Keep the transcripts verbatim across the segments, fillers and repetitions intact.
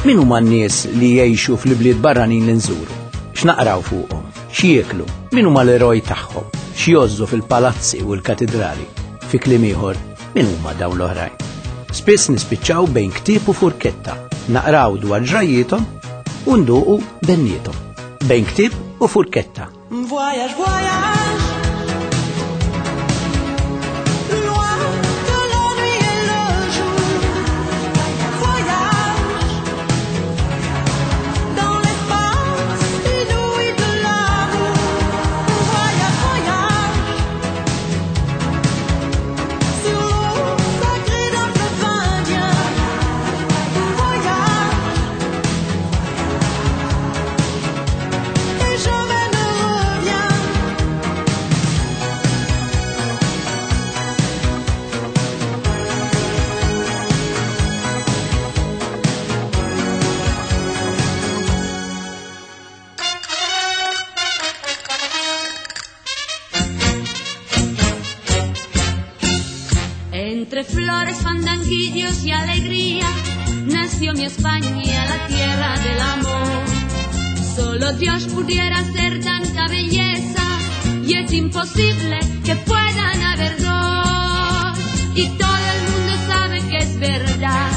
Min huma n-nies li jgħixu fl-ibliet barranin li nżuru? X'naqraw fuqhom? X'jieklu? Min huma l-eroj tagħhom? X'jgħożżu fil-palazzi u l-katidrali? Fi kliem ieħor, min huma dawn l-oħrajn? Spiss nispiċċaw bejn ktieb u furketta, naqraw dwar ġrajjiethom u nduqu benniethom. Bejn ktieb u furketta. Voyage, voyage, loin de la nuit et le jour. Voyage dans l'espace inouï de l'amour. Voyage, voyage sur l'eau sacrée d'un fleuve indien. Voyage et jamais ne reviens. Entre flores, fandanguillos y alegría, nació mi España, la tierra del amor. Solo Dios pudiera hacer tanta belleza, y es imposible que puedan haber dos. Y todo el mundo sabe que es verdad,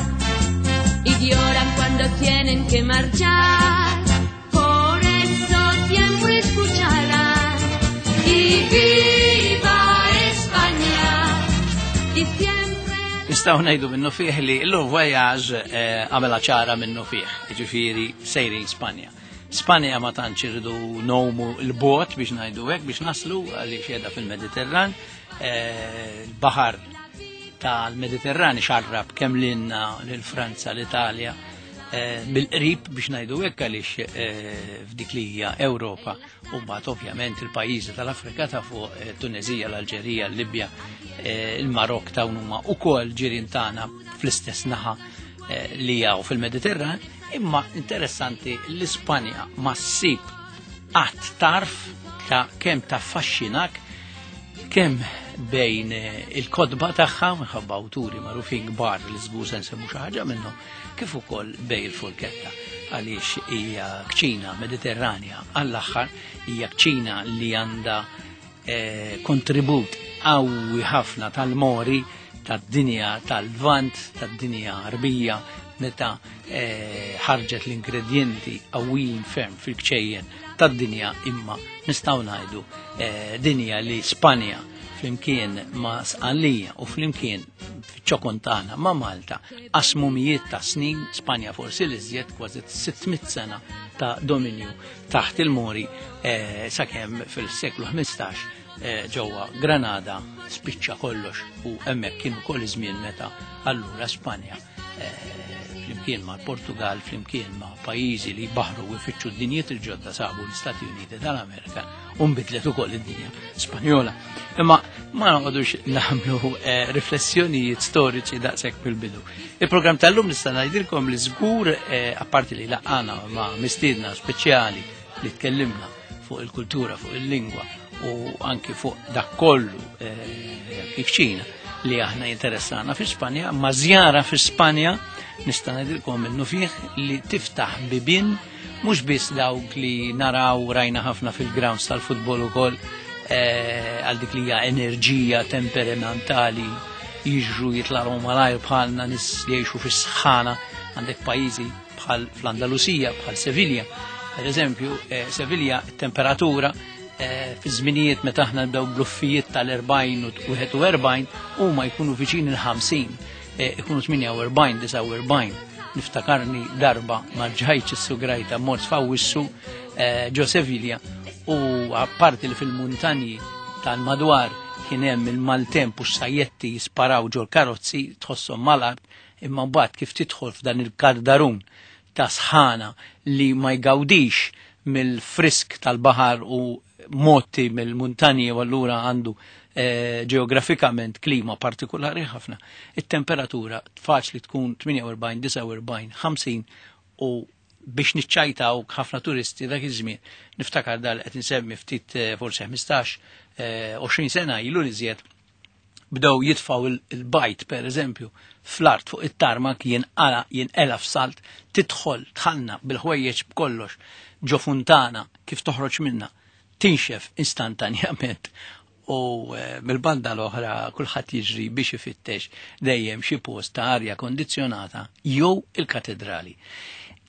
y lloran cuando tienen que marchar. Por eso siempre escucharán, y viva España, y siempre... Nistgħu ngħidu minnu fih li l voyage għamela ċara minnu fih, ġifieri sejrin Spanja. Spanja ma tantx irridu nomu l-bot biex ngħidu hekk biex naslu għaliex qiegħda fil-Mediterran. Eh, Il-baħar tal-Mediterran xarrab kemm lilna lil Franza, l-Italja, eh, mill-qrib biex ngħidu hekk għaliex eh, f'dik li hija Ewropa u mbagħad ovvjament il-pajjiżi tal-Afrika ta' fuq eh, Tunezija, l-Alġerija, l-Libja, eh, il-Marok dawn huma wkoll ġirien tagħna fl-istess naħa eh, li hawn fil-Mediterran, imma interessanti l-Ispanja ma ssib qatt tarf ta' kemm taffaxxinak kemm bejn eh, il-kotba tagħha minħabba awturi magħrufin kbar li żgur se nsemmu xi ħaġa minnhom, kif ukoll bejn il-furketta għaliex hija kċina Mediterranja għall-aħħar, hija kċina li għandha eh, kontribut qawwi ħafna tal-Mori, tad-dinja tal-Lvant, tad-dinja Arbija, meta eh, ħarġet l-ingredienti qawwijin ferm fil-kċejjen tad-dinja, imma nistgħu ngħidu eh, dinja li Spanja flimkien ma' Sqallija u flimkien fiċ-ċokon tagħna ma' Malta qasmu mijiet ta' snin, Spanja forsi li żjed kważi sitt mitt sena ta' dominju taħt il-Mori, eh, sakemm fil-seklu ħmistax, eh, ġewwa Granada spiċċa kollox u hemmhekk kien ukoll iż-żmien meta allura Spanja, eh, flimkien ma' Portugal, flimkien ma' pajjiżi li baħru u jfittxu d-dinjiet il-ġodda sabu l-Istati Uniti tal-Amerika u nbidlet ukoll id-dinja Spanjola. Imma ma noqogħdux nagħmlu, eh, riflessjonijiet storiċi daqshekk fil-bidu. Il-programm tal-lum nista' ngħidilkom li żgur, eh, apparti li laqana ma' mistiedna speċjali li tkellimna fuq il-kultura, fuq il-lingwa u anki fuq dak kollu, eh, kikċina li aħna interessana fi Spanja, ma' żjara fi Spanja nista' ngħidilkom minnu fih li tiftaħ bibien mhux biss dawk li naraw rajna ħafna fil-grounds tal-futbol ukoll, eh, għal dik li hija enerġija temperamentali jiġru jitlaqgħu malajr bħalna nies li jgħixu fis-sħana. Għandek pajjiżi bħal fl-Andalusija, bħal Sevilla. Per eżempju, eh, Sevilla temperatura, eh, fi żminijiet meta aħna nibdew bluffijiet tal-erbgħin u wieħed u erbgħin huma jkunu viċin il-ħamsin, eh, ikunu tmienja u erbgħin, disgħa u erbgħin. Niftakarni darba ma rġajtx is-sugrajta mort f'Awwissu, eh, ġo Sevilla u apparti li fil-muntanji tal-madwar kien hemm il-maltemp u s-sajjetti jisparaw ġol karozzi tħosshom mal-art, imma mbagħad kif tidħol f'dan il-kardarun ta' sħana li ma jgawdix mill-frisk tal-baħar u motti mill-muntanji u allura għandu, eh, ġeografikament klima partikolari ħafna. It-temperatura faċli tkun tmienja u erbgħin, disgħa u erbgħin, ħamsin u biex niċċajtaw ħafna turisti dak iż-żmien. Niftakar dal qed insemmi ftit, eh, forsi ħmistax, eh, għoxrin sena ilu li żjed bdew jitfaw il-bajt per eżempju fl-art fuq it-tarmak jinqala jinqela f'salt, tidħol tħallna bil-ħwejjeġ b'kollox ġo funtana kif toħroġ minna tinxef istantanjament. U mill-banda l-oħra kulħadd jiġri biex ifittex dejjem xi post ta' arja kondizzjonata jew il-katedrali.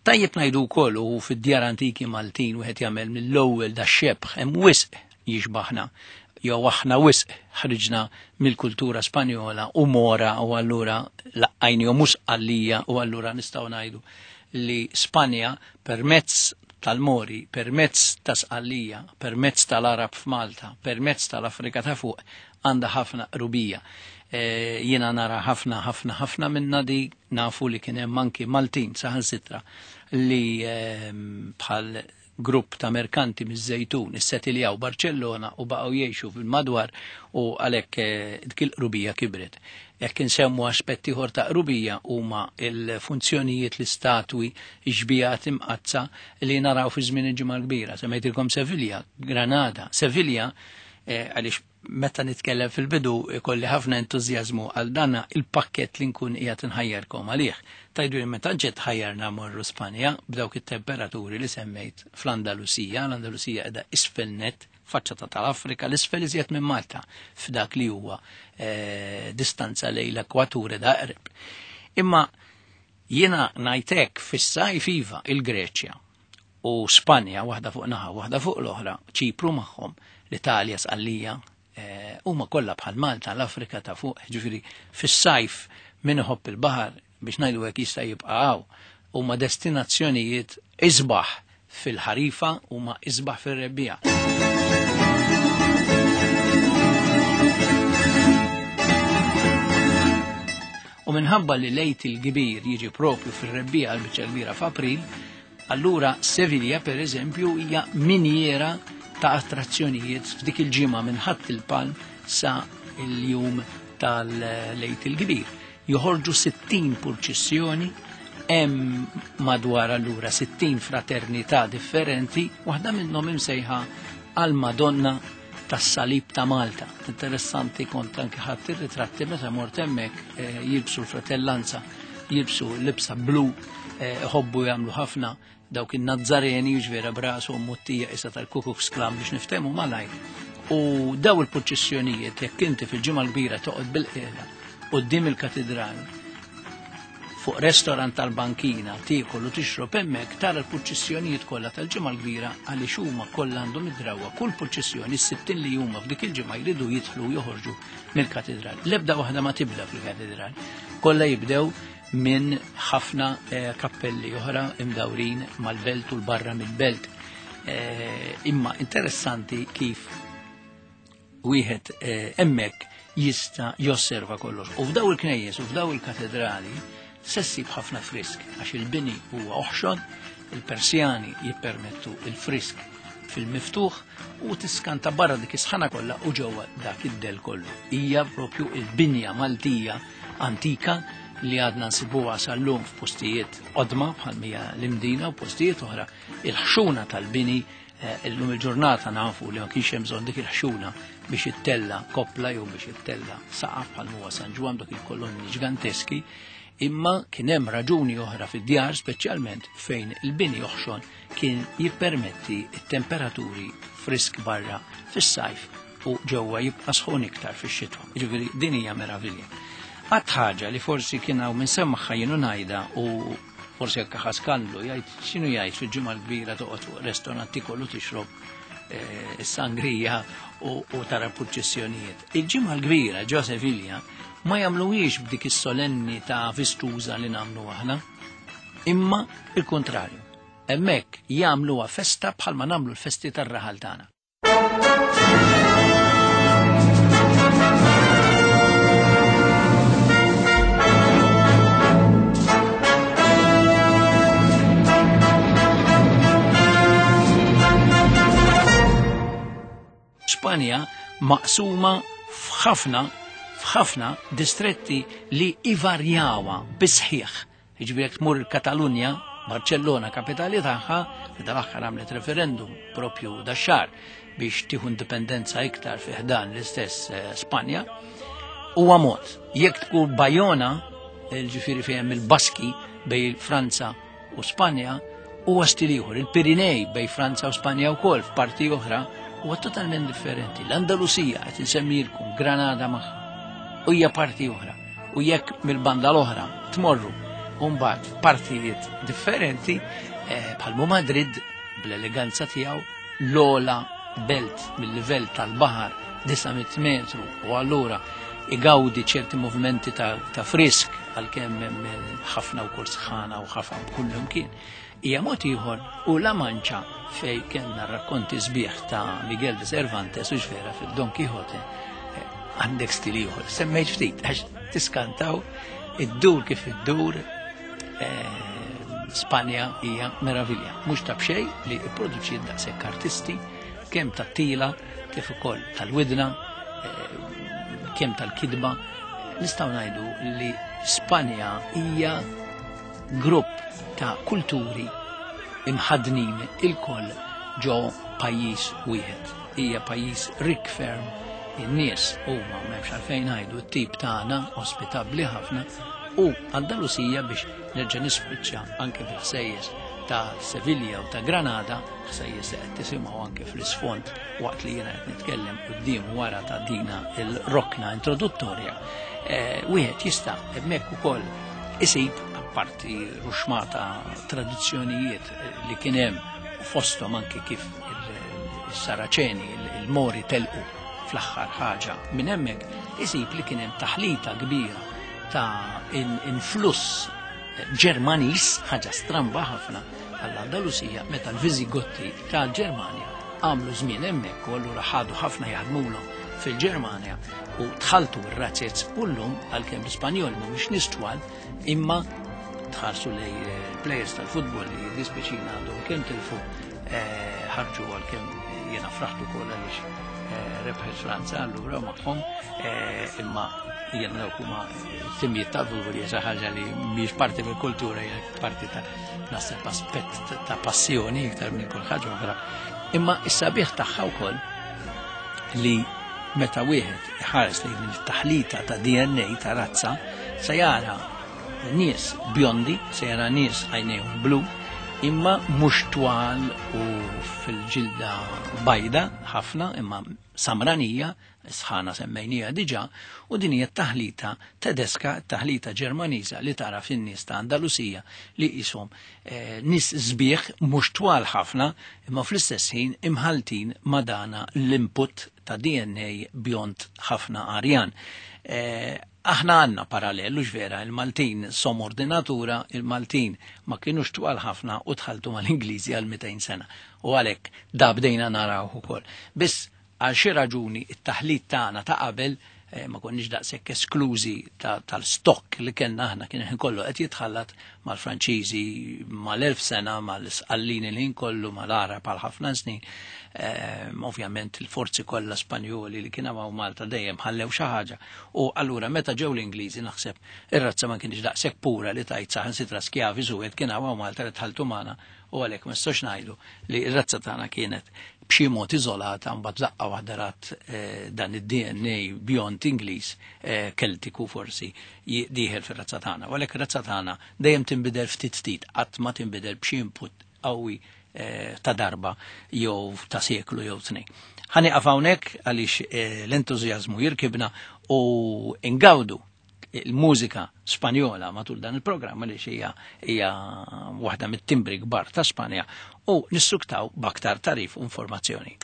Tajjeb ngħidu wkoll u fid-djar antiki Maltin wieħed jagħmel mill-ewwel da xebħ hemm wisq jixbaħna jew aħna wisq ħriġna mill-kultura Spanjola u mora u allura laqqajnihom mhux Sqallija u allura nistgħu ngħidu li Spanja permezz tal-Mori, permezz ta' Sqallija, permezz tal-Arab f'Malta, permezz tal-Afrika ta' fuq, għandha ħafna qrubija. E, jiena nara ħafna ħafna ħafna minna di nafu li kien hemm anki Maltin saħansitra li e, bħal grupp ta' merkanti miż-Żejtun issetiljaw Barċellona u baqgħu jgħixu fil-madwar u għalhekk dik il-qrubija kibret. Jekk insemmu aspetti ieħor ta' qrubija huma l-funzjonijiet, l-istatwi, x-xbijat imqazza li naraw fi żmien il-Ġimgħa l-Kbira. Semmejtilkom Sevilja, Granada. Sevilja għaliex meta nitkellem fil-bidu ikolli ħafna entużjażmu għal dana il-pakket li nkun qiegħed inħajjarkom għalih. Tajdu li meta ġiet ħajjarna morru Spanja b'dawk it-temperaturi li semmejt fl-Andalusija, l-Andalusija qiegħda isfel net, faċċata tal-Afrika, l-isfel iżjed minn Malta f'dak li huwa e, distanza lejn l-ekwatur da qrib. Imma jiena ngħidlek fis-sajf iva il-Greċja u Spanja waħda fuq naħa, waħda fuq l-oħra, Ċipru magħhom, l-Italja Sqallija, huma kollha bħal Malta, l-Afrika ta' fuq, ġifieri fis-sajf min iħobb il-baħar biex ngħidu hekk jista' jibqa' hawn, huma destinazzjonijiet isbaħ fil-ħarifa huma isbaħ fir-rebbiegħa. U minħabba li lejt il-kbir jiġi propju fir-rebbiegħa l-biċċa kbira f'April, allura Sevilja per eżempju hija minjera ta' attrazzjonijiet f'dik il-ġimgħa minn Ħadd il-Palm sa il-jum tal-Lejt il-Kbir. Joħorġu sittin purċissjoni, hemm madwar allura sittin fraternità differenti, waħda minnhom imsejħa għal Madonna tas-Salib ta' Malta. Interessanti kont anke ħadd ir-ritratti meta mort hemmhekk eh, jilbsu l-fratellanza, jilbsu libsa blu, ħobbu eh, jagħmlu ħafna dawk in-Nazzareni ġvera brasu muttija isa tal-Ku Klux Klan biex niftehmu malajr. U daw il-purċissjonijiet jekk inti fil-Ġimgħa l-Kbira toqgħod bil-qiegħda quddiem il-katedral fuq restorant tal-bankina tiekol u tixrob hemmhekk tara l-purċissjonijiet kollha tal-Ġimgħa l-Kbira għaliex huma kollha għandhom id-drawwa kull purċissjoni s-sittin li huma f'dik il-ġimgħa jridu jidħlu u joħorġu mill-katedral. L-ebda waħda ma tibda fil-katedral. Kollha jibdew minn ħafna eh, kappelli oħra imdawrin mal-belt u l-barra mill-belt. Eh, imma interessanti kif wieħed eh, hemmhekk jista' josserva kollox. U f'daw il-knejjes u f'daw il-katedrali se ssib ħafna frisk għax il-bini huwa oħxon, il-Persjani jippermettu il-frisk fil-miftuħ u tiskanta barra dik is-sħana kollha u ġewwa dak id-del kollu. Hija propju il-binja Maltija antika li għadna nsibuha sal-lum f'postijiet qodma bħal mija l-Imdina u postijiet oħra. Il-ħxuna tal-bini illum il-ġurnata nafu li ma kienx hemm bżonn dik il-ħxuna biex ittella koppla jew biex ittella saqaf bħal huwa San Ġwann dak il-kolonni ġiganteski, imma kien hemm raġuni oħra fid-djar speċjalment fejn il-bini oħxon kien jippermetti t-temperaturi frisk barra fis-sajf u ġewwa jibqa' sħun iktar fix-xitwa. Jiġifieri din hija meravilja. Għad ħaġa li forsi kien hawn minn semmaħħa jienu ngħidha u forsi hekk ħa skandlu jgħid x'inhu jgħid fil-Ġimgħa l-Kbira toqgħod fuq restorant tikollu tixrob is-sangrija u, u tara purċissjonijiet. Il-Ġimgħa l-Kbira ġo Sevilja ma jagħmluhiex b'dik is-solennità vistuża li nagħmlu aħna, imma il-kontrarju. Hemmhekk jagħmluha festa bħalma nagħmlu l-festi tar-raħal tagħna. Spanja maqsuma f'ħafna f'ħafna distretti li ivarjawa bisħiħ. Jiġifieri jekk tmur il-Katalunja, Barcellona kapitali tagħha, li dal-aħħar għamlet referendum propju dax-xahar biex tieħu indipendenza iktar fi ħdan l-istess Spanja, huwa mod. Jekk tkun Bajona ġifieri fejn il-Baski bejn Franza u Spanja, huwa stil ieħor. Il-Pirinej bejn Franza u Spanja wkoll f'parti oħra huwa totalment differenti. L-Andalusija qed insemmilkom Granada magħha u hija parti oħra. U jekk mill-banda l-oħra tmorru u mbagħad f'partijiet differenti eh, bħal Madrid bl-eleganza tiegħu l-ola belt mill-livell tal-baħar disa' mitt metru u allura igawdi ċerti movimenti ta', ta frisk għalkemm hemm ħafna wkoll sħana u ħafna b'kull imkien. Hija mod ieħor u La Mancha fej kellna rakkonti sbieħ ta' Miguel de Cervantes u x'vera fil-Don Quixote eh, għandek stil ieħor. Semmejt ftit għax tiskantaw id-dur kif iddur eh, Spanja hija meravilja. Mhux ta' b'xejn li pproduċiet daqshekk artisti kemm tat-tila kif ukoll tal-widna, eh, kemm tal-kidba. Nistgħu ngħidu li Spanja hija grupp ta' kulturi imħadnin il-koll ġo pajjiż wieħed. Hija pajjiż rikk ferm, in-nies huma m'hemmx għalfejn ngħidu t-tip tagħna ospitabbli ħafna, u Andalusija biex nerġa' nispiċċa anke bil-ħsejjes ta' Sevilja u ta' Granada, ħsejjes li qed tisimgħu anke fl-isfond waqt li jiena qed nitkellem quddiem wara ta' dina il-rokna introduttorja. Eh, wieħed jista' hemmhekk ukoll isib apparti ruxmata tradizzjonijiet li kien hemm fosthom anke kif il-Saraċeni, il-Mori telqu fl-aħħar ħaġa minn hemmhekk, isib li kien hemm taħlita kbira ta' influss Ġermaniż, ħaġa stramba ħafna għall-Andalusija, meta l-Viżigotti tal-Ġermanja għamlu żmien hemmhekk u allura ħadu ħafna jaħdmulhom fil-Ġermanja u tħaltu r-razzez u llum għalkemm l-Ispanjol mhumiex nies twal, imma tħarsu lej players tal-futbol li dispiċina għandhom kemm tilfu, eh, ħarġu għalkemm jiena fraħtu wkoll għaliex, eh, rebħet Franza allura magħhom, eh, imma jiena dawk huma timijiet tal-futbol hija xi ħaġa li mhijiex parti mill-kultura, hija parti ta' naħseb aspett ta' passjoni iktar minn kull ħaġa oħra. Imma s-sabiħ tagħha wkoll li meta wieħed iħares lejn din it-taħlita ta' D N A ta' razza, se jara nies bjondi, se jara nies għajnejhom blu, imma mhux twal u fil-ġilda bajda ħafna, imma samranija, sħana semmejnija diġà, u din hija t-taħlita tedeska, taħlita Ġermaniża li tara fin-nies ta' Andalusija li qishom, eh, nies sbieħ mhux twal ħafna, imma fl-istess ħin imħaltin ma' dana l-input ta' D N A bjond ħafna arjan. Eh, aħna għandna parallel, u vera, il-Maltin somor di natura, il-Maltin ma kienux twal ħafna u tħaltu mal-Ingliżi għal mitejn sena. U għalhekk da bdejna naraw ukoll. Biss għal xi raġuni it-taħlit tagħna ta' qabel, eh, ma konniex daqshekk esklużi ta-, tal-stokk li kellna aħna, kien ħin kollu qed jitħallat mal-Franċiżi mal-elf sena, mal-Isqallini li ħin kollu, mal-Arab għal ħafna snin. Eh, ovvjament il-forzi kollha Spanjoli li kien hawn Malta dejjem ħallew xi ħaġa. U allura meta ġew l-Ingliżi naħseb ir-razza ma kienx daqshekk pura li tajt saħansitra skjavi żuwed kien hawn Malta li tħalltu magħna, u għalhekk ma nistgħux ngħidu li r-razza tagħna kienet b'xi mod iżolata mbagħad daqqa waħda rat, eh, dan id-D N A bjond Ingliż, eh, Keltiku forsi dieħel fir-razza tagħna. U għalhekk ir-razza tagħna dejjem tinbidel ftit ftit, qatt ma tinbidel b'xi input qawwi, eh, ta' darba jew ta' seklu jew tnejn. Ħa nieqaf hawnhekk għaliex, eh, l-entużjażmu jirkibna u ingawdu il-mużika Spanjola matul dan il-programm għaliex hija, hija waħda mit-timbri kbar ta' Spanja, u nissuktaw b'aktar tarif u informazzjoni.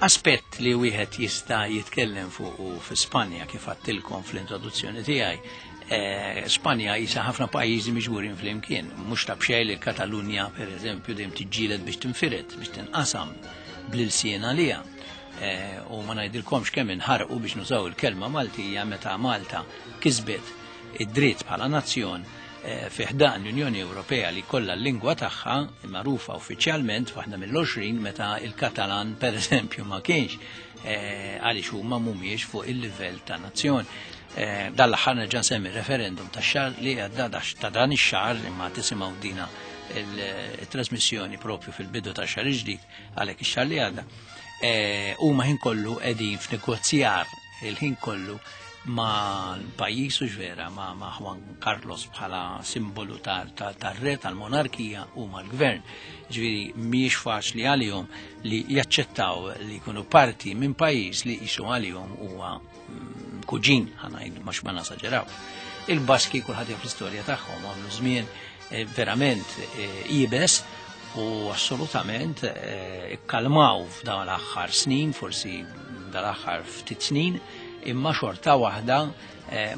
Aspett li wieħed jista' jitkellem fuq u fi Spanja, kif għattilkom fl-introduzzjoni tiegħi, eh, Spanja jisa ħafna pajjiżi miġburin flimkien, mhux ta' b'xejn li Katalunja pereżempju dejjem tiġġieled biex tinfired, biex tinqasam bl-ilsien għaliha. Eh, u ma ngħidilkomx kemm inħarqu biex nużaw il-kelma Maltija meta Malta kisbet id-dritt bħala nazzjon, fi ħdan l-Unjoni Ewropea li kollha l-lingwa tagħha magħrufa uffiċjalment waħda mill-għoxrin, meta il-Katalan pereżempju ma kienx, għaliex huma mhumiex fuq il-livell ta' nazzjon. Dan l-aħħar nerġa' nsemmi referendum tax-xahar li għadda, ta' dan ix-xahar, imma tisimgħu dina il-trasmissjoni propju fil-bidu ta' xahar ġdid, għalhekk ix-xahar li għadda. Huma ħin kollu qegħdin f'negozjar il-ħin kollu ma' l-pajjiż u ġvera ma' ma' Juan Carlos bħala simbolu tar-re tal-monarkija u mal-gvern. Ġifieri mhijiex faċli għalihom li jaċċettaw li jkunu parti minn pajjiż li jisu għalihom huwa kuġin, ħa ngħidu ma ma nasaġeraw. Il-Baski kulħadd jaf l-istorja tagħhom, għamlu żmien verament iebes u assolutament ikkalmaw f'dawn l-aħħar snin, forsi dal-aħħar ftit snin, imma xorta waħda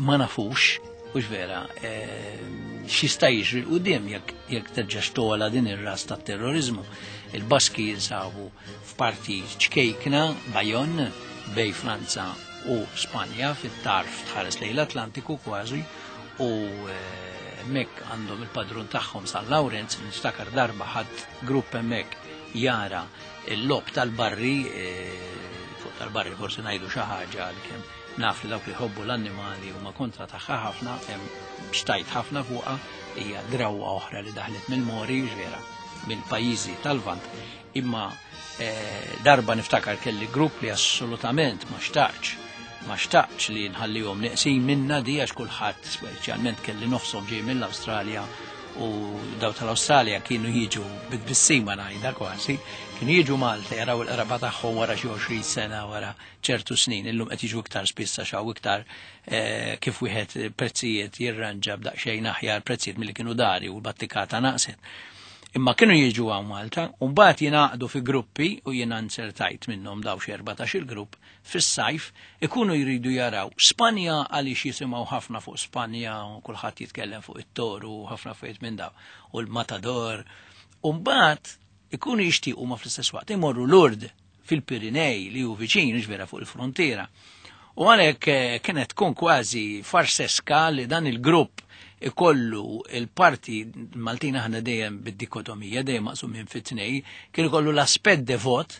ma nafux, hux vera, x'jista' jiġri 'l quddiem jekk terġa' togħla din ir-ras tat-terrorizmu. Il-Baski jinsabu f'parti ċkejkna, Bajon, bej Franza u Spanja, fit-tarf tħares lejn l-Atlantiku kważi, u hemmhekk għandhom il-padrun tagħhom San Lawrenz. Niftakar darba ħadd grupp hemmhekk jara l-lob tal-barri, fuq tal-barri forsi ngħidu xi ħaġa għalkemm naf li dawk li jħobbu l-annimali huma kontra tagħha ħafna, hemm xtajt ħafna fuqha, hija drawwa oħra li daħlet mill-Mori, ġvera, mill-pajjiżi tal-Lvant. Imma darba niftakar kelli grupp li assolutament ma xtaqx, ma xtaqx li nħallihom neqsin minna di, għax kulħadd, speċjalment kelli nofshom ġej mill-Awstralja, u daw tal-Awstralja kienu jiġu bit-tbissima ngħidha kważi, kienu jiġu Malta jaraw il-qraba tagħhom wara xi għoxrin sena, wara ċertu snin, illum qed jiġu iktar spiss għax hawn iktar kif wieħed prezzijiet jirranġa b'daqsxejn aħjar prezzijiet milli kienu dari u l-battikata naqset. Imma kienu jiġu hawn Malta u mbagħad jingħaqdu fi gruppi, u jiena nsertajt minnhom daw xi erbatax il-grupp fis-sajf, ikunu jridu jaraw Spanja għaliex jisimgħu ħafna fuq Spanja u kulħadd jitkellem fuq it-toru u ħafna affarijiet minn daw u l-matador. U mbagħad ikunu jixtiequ ma fl-istess waqt imorru Lourdes fil-Pirinej li hu viċin, ġvera fuq il-frontiera. U għalhekk kienet tkun kważi farseska li dan il-grupp ikollu il-parti Maltin aħna dejjem bid-dikotomija, dejjem maqsumin fit-tnej, kien ikollu l-aspett devot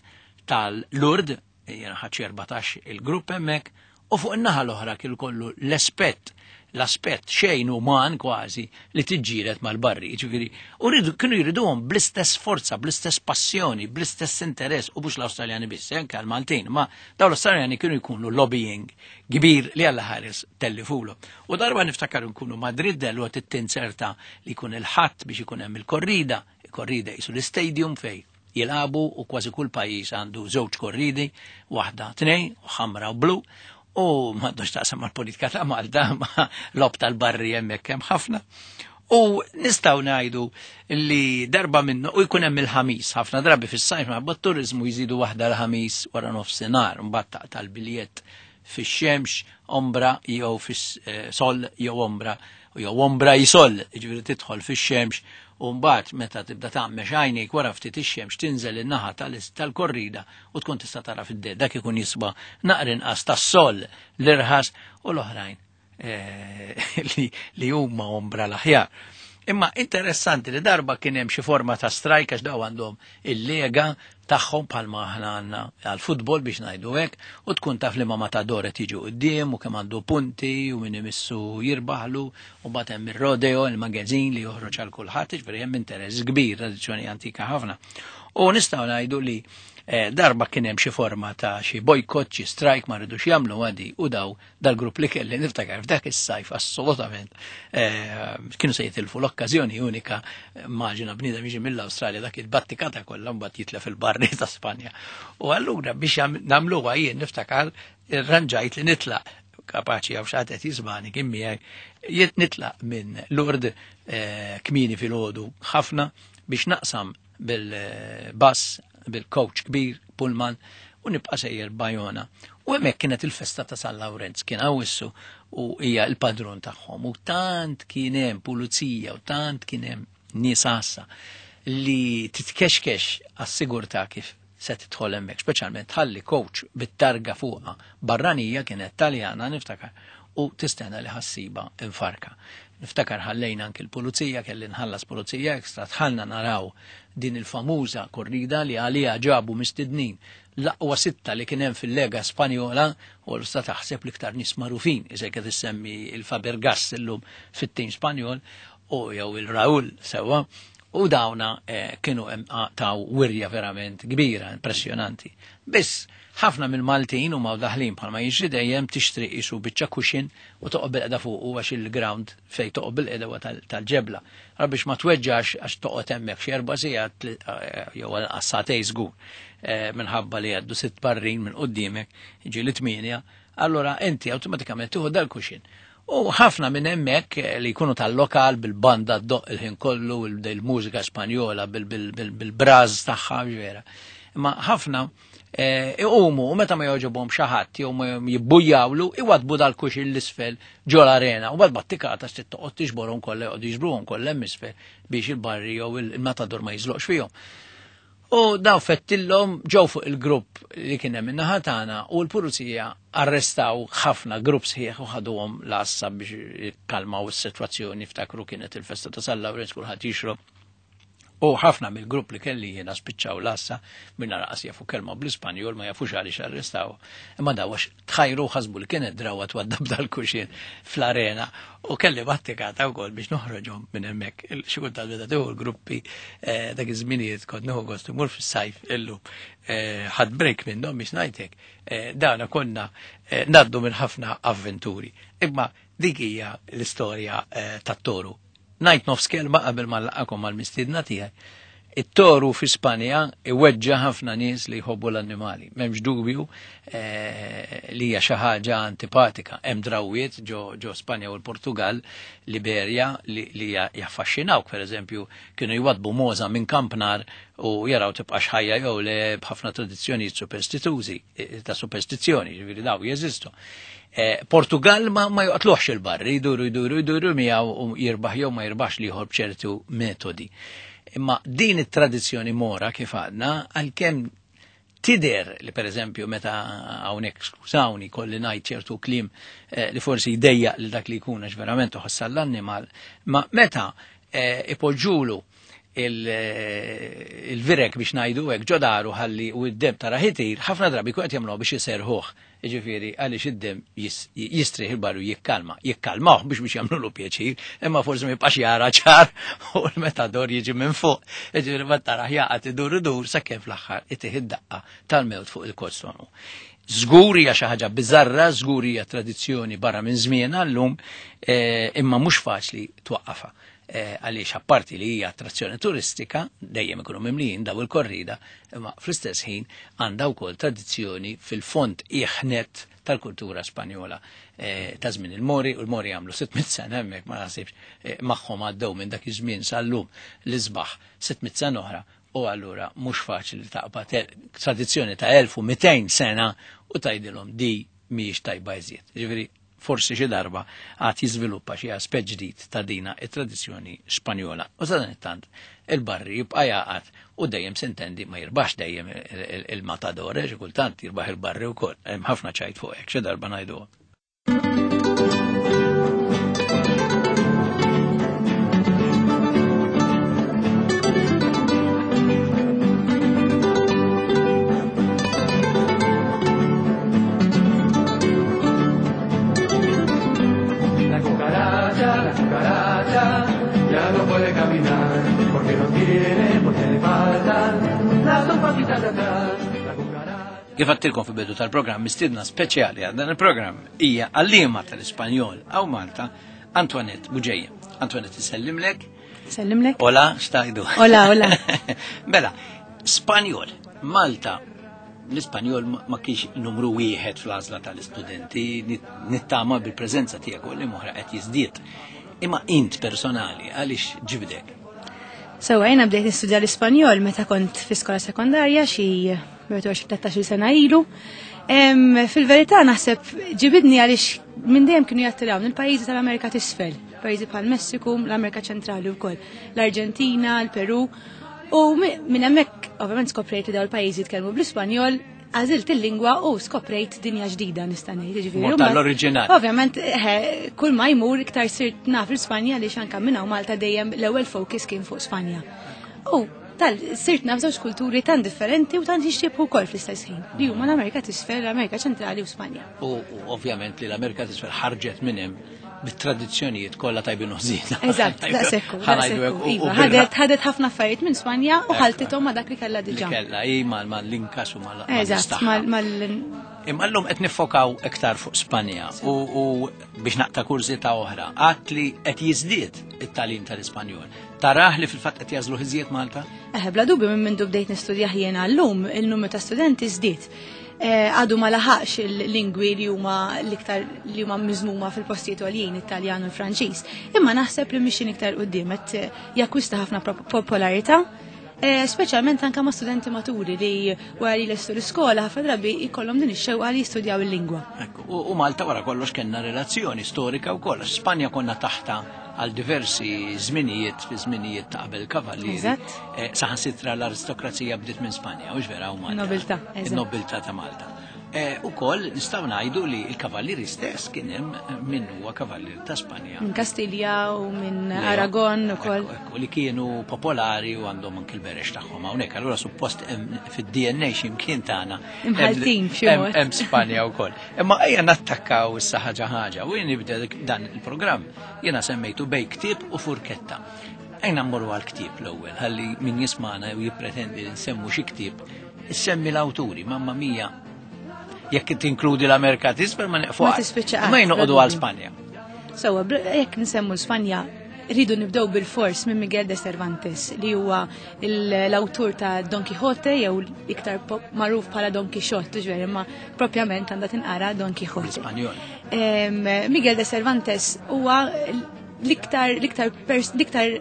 tal-Lourdes, jiena ħadd erbatax il-grupp hemmhekk, u fuq in-naħa l-oħra kien ikollu l-aspett l-aspett xejn uman kważi li tiġġieled mal-barri, ġifieri, u kienu jriduhom bl-istess forza, bl-istess passjoni, bl-istess interess, u mhux l-Awstraljani biss, anke l-Maltin, ma dawn l-Awstraljani kienu jkunu lobbying kbir li Alla ħares tellifulu. U darba niftakar nkunu Madrid dellu għat tinserta li jkun il-ħadd biex ikun hemm il-korrida, il-korrida jisu l-istadium fej jilagħbu, u kważi kull pajjiż għandu żewġ korridi, waħda tnejn, u ħamra u blu, u m'għandux taqsam mal-politika ta' Malta, ma lob tal-barri hemmhekk hemm ħafna. U nistgħu ngħidu li darba minnu, u jkun hemm il-ħamis, ħafna drabi fis-sajf ma' turizmu jżidu waħda l-ħamis wara nofsinhar, mbagħad taqta' l-biljett fix-xemx, ombra jew fis-sol jew ombra, jew ombra jisol, jiġifieri tidħol fix-xemx, u mbagħad meta tibda tagħmex għajnejk wara ftit ix-xemx tinżel in-naħa tal-korrida u tkun tista' tara fid-ded, dak ikun jiswa naqra inqas tas-sol l-irħas u l-oħrajn li huma ombra l-aħjar. Imma interessanti li darba kien hemm xi forma ta' strajk għax daw għandhom il-lega tagħhom bħalma aħna għandna għall-futbol biex ngħidu hekk, u tkun taf li ma matador qed jiġu quddiem u kemm għandu punti u min imissu jirbaħlu, u mbagħad hemm ir-rodeo, il-magażin li joħroġ għal kulħadd, jiġifieri hemm interess kbir, tradizzjoni antika ħafna. U nistgħu ngħidu li darba kien hemm xi forma ta' xi bojkott, xi strajk ma rridux jagħmlu għadi, u daw dal-grupp li kelli niftakar f'dak is-sajf assolutament kienu se jitilfu l-okkażjoni unika, maġina bniedem jiġi mill-Awstralja dak il-battikata kollha mbagħad jitlef il-barri ta' Spanja. U allura biex nagħmluha jien niftakar irranġajt li nitlaq, kapaċi għaw xaħat qed jismani kien miegħi, nitlaq minn Lourdes kmieni filgħodu ħafna biex naqsam bil-bus, bil-coach kbir, pullman, u nibqa' sejjer Bajona. U hemmhekk kienet il-festa ta' San Lawrenz, kien hawn u hija l-padrun tagħhom. U tant kien hemm pulizija u tant kien hemm nies għassa li titkexkex għas-sigurtà kif se tidħol hemmhekk, speċjalment tħalli coach bit-targa fuqha barranija, kienet Taljana niftakar, u tistenna li ħassiba infarka. Niftakar ħallejna anke l-pulizija, kelli nħallas pulizija ekstra, tħallna naraw din il-famuża korrida li għalija ġabu mistednin l-aqwa sitta li kien hemm fil-Lega Spanjola u l-sta taħseb l-iktar nies magħrufin, iżek qed issemmi il-Fabregas illum fit-tim Spanjol u jew il-Raul sewwa, u dawna eh, kienu taw wirja verament kbira, impressjonanti. Biss ħafna mill-Maltin huma daħlin bħalma jiġri dejjem tixtri qisu biċċa kuxin u toqgħod bil-qeda fuq u għax il-ground fejn toqgħod bil-qeda huwa tal-ġebla. Ara biex ma tweġġax għax toqgħod hemmhekk xi erba' sigħat jew għal sagħtejn żgur minħabba li għaddu sitt barrin minn quddiemek, ġieli tmienja, allura inti awtomatikament tieħu dal-kuxin. U ħafna minn hemmhekk li jkunu tal-lokal bil-banda ddoq il-ħin kollu, il-mużika Spanjola bil-braż tagħha vera. Imma ħafna iqumu u meta ma jogħġobhom xi ħadd jew ma jibbujjawlu iwadbu dal-kuxin l-isfel ġol arena u bad battikata se toqgħod tiġborhom kollha joqgħdu jiġbruhom kollha hemm isfel biex il-barri jew il-matador ma jiżloqx fihom. U daw fettillhom ġew fuq il-grupp li kien hemm in-naħa tagħna u l-pulizija arrestaw ħafna grupp sħiħ u ħaduhom l-għassa biex jikkalmaw is-sitwazzjoni. Ftakru kienet il-festa ta' San Lawrenz kulħadd jixrob. U ħafna mill-grupp li kelli jiena spiċċaw l-għassa minn raqas jafu kelma bl-Ispanjol ma jafux għaliex arrestaw. Imma daw għax tħajru ħasbu li kienet drawa twaddab dal-kuxin fl-arena u kelli battikata wkoll biex noħroġhom minn hemmhekk. Xi kultant meta tieħu l-gruppi dak iż-żminijiet kont nieħu gost imur fis-sajf illum ħadd break minnhom biex ngħidlek. Dawna konna ngħaddu minn ħafna avventuri. Imma dik hija l-istorja tat-toru. Ngħid nofs kelma qabel ma nlaqakom mal-mistiedna tiegħi. It-toru fi Spanja iweġġa ħafna nies li jħobbu l-annimali. M'hemmx dubju li hija xi ħaġa antipatika. Hemm drawwiet ġo, ġo Spanja u l-Portugal, l-Iberja li, li jaffaxxinawk, pereżempju, kienu jwadbu moza minn kampnar u jaraw tibqax ħajja jew le b'ħafna tradizzjonijiet superstitużi ta' superstizzjoni, ġifieri daw jeżistu. Portugal ma, ma joqtluħx il-barri, jduru jduru jduru miegħu u jirbaħ jew ma jirbaħx li jħobb ċertu metodi. Imma din it-tradizzjoni mora kif għadna, għalkemm tider li pereżempju meta hawnhekk skużawni kolli ngħid ċertu kliem eh, li forsi jdejjaq li dak li jkun għax verament uħossa l-annimal, ma meta eh, ipoġġulu il-virek biex ngħidu hekk ġodaru ħalli u d-dem tara ħitir, ħafna drabi jkun qed jagħmluha biex iserħuh. Jiġifieri għaliex id-dem jistrieħ il-barru jikkalma, jikkalmawh biex biex jagħmlulu pjaċir, imma forsi ma jibqax jara ċar u l-metador jiġi minn fuq. Jiġifieri ma taraħ jaqgħad idur idur sakemm fl-aħħar itih id-daqqa tal-mewt fuq il-kostonu. Żgur hija xi ħaġa biżarra, żgur hija tradizzjoni barra minn żmienha llum, imma mhux faċli twaqqafha. Għaliex apparti li hija attrazzjoni turistika, dejjem ikunu mimlijin daw il-korrida, imma fl-istess ħin għandha wkoll tradizzjoni fil-fond iħnet tal-kultura Spanjola ta' żmien il-Mori, u l-Mori għamlu sitt mitt sena hemmhekk ma naħsibx magħhom għaddew minn dak iż-żmien sal-lum l-isbaħ sitt mitt sena oħra, u allura mhux faċli li taqbad tradizzjoni ta' elf u mitejn sena u tgħidilhom di mhijiex tajba iżjed. Ġifieri forsi xi darba għad jiżviluppa xi aspett ġdid ta' dina it-tradizzjoni Spanjola. U sadanittant il-barri jibqa' jaqgħad u dejjem sintendi ma jirbax dejjem il-matador, xi kultant jirbaħ il-barri wkoll. Hemm ħafna ċajt fuq hekk xi darba ngħiduha. Kif għattilkom fi bidu tal-programm, mistiedna speċjali għal dan il-programm hija għalliema tal-Ispanjol għaw Malta, Antoinette Bugeja. Antoinette, sellimlek. Sellimlek. Hola, xtajdu. Hola, hola. Mela, Spanjol, Malta, l-Ispanjol ma kienx numru wieħed fl-għażla tal-istudenti, nittama bil-preżenza tiegħek u li moħra qed jiżdied. Imma int personali, għaliex ġibdek? Sewa, jiena bdejt nistudja l-Ispanjol meta kont fi skola sekondarja xi tlettax-il sena ilu. Fil-verità naħseb ġibidni għaliex minn dejjem kienu jattirawni il-pajjiżi tal-Amerika t'isfel, pajjiżi bħal Messiku, l-Amerika Ċentrali wkoll, l-Arġentina, l-Peru. U minn hemmhekk ovvjament skoprejt li dawn il-pajjiżi jitkellmu bl-Ispanjol, Għażilt il-lingwa u skoprejt dinja ġdida nista' ngħid, jiġifieri. Mort għall-oriġinal. Ovvjament, eh, kull ma jmur iktar sirt naf l-Spanja li anka minn hawn Malta dejjem l-ewwel focus kien fuq Spanja. U tal sirt naf żewġ kulturi tant differenti u tant jixtiebħu wkoll fl-istess ħin. Li huma l-Amerika t'Isfel, l-Amerika Ċentrali u Spanja. U u ovvjament li l-Amerika t'Isfel ħarġet minn hemm bit-tradizzjonijiet kollha tajbin u ħżiena. Eżatt, daqshekk. Ħa ngħidu hekk, u- u Iva, birra- ħadet ħadet ħafna affarijiet minn Spanja u ħaltithom ma' dak li kellha li diġà. kellha hi mal mal-Inkas u mal Eżatt, mal mal Imma llum qed niffokaw iktar fuq Spanja u, u biex naqta' kurżità oħra, għat li qed jiżdied it-tagħlim tal-Ispanjol. Tarah li fil-fatt qed jażlu iżjed Malta? Eh, bla dubju minn mindu bdejt nistudja jiena llum, il-numru ta' studenti żdied. Eh, Għadu ma laħaqx il-lingwi li huma l-iktar li huma miżmuma fil-postijiet għoljin, it-Taljan u l-Franċiż. Imma naħseb li mixin iktar quddiem qed eh, jakkwista ħafna prop- popolarità. Eh, Speċjalment anka ma' studenti maturi li wara li lestu l-iskola ħafna drabi jkollhom din ix-xewqa li jistudjaw il-lingwa. Ekku, U, u Malta wara kollox kellna relazzjoni storika u kollox. Spanja konna taħta għal diversi żminijiet fi żminijiet ta' qabel kavallieri. Eżatt. Eh, Saħansitra l-aristokrazija bdiet minn Spanja, u vera u Malta. Nobiltà, eżatt. Il-nobiltà ta' Malta. Eh, U koll nistgħu ngħidu li l-kavallieri stess kien hemm min huwa kavallier ta' Spanja. Minn Kastilja u minn Leo. Aragon u koll. Ekku, ekku, li kienu popolari u għandhom anke l-berex tagħhom hawnhekk. Allura suppost hemm fid-D N A x'imkien tagħna. hemm- Imħaltin b'xi hemm- mod. Hemm Spanja wkoll. Imma ejja nattakkaw issa ħaġa ħaġa u jien nibda dan il-programm jiena semmejtu bej ktieb u furketta. Ejna mmorru għal ktieb l-ewwel, ħalli min jismana u jippretendi li nsemmu xi ktieb, issemmi l-awturi, mamma mia. Jekk tinkludi l-Amerika t'Isfel ma neqfu. Ma tispiċċa qatt, Ma jnoqogħdu bla għal dubju. Spanja. Sewwa, bl- jekk nsemmu Spanja, rridu nibdew bil-fors minn Miguel de Cervantes, li huwa il- l-awtur ta' Don Quixote, jew iktar pop- magħruf bħala Don Quixote, ġveri, imma propjament għandha tinqara Don Quixote. L-Ispanjol. Em, Miguel de Cervantes huwa l-iktar l-iktar pers- l-iktar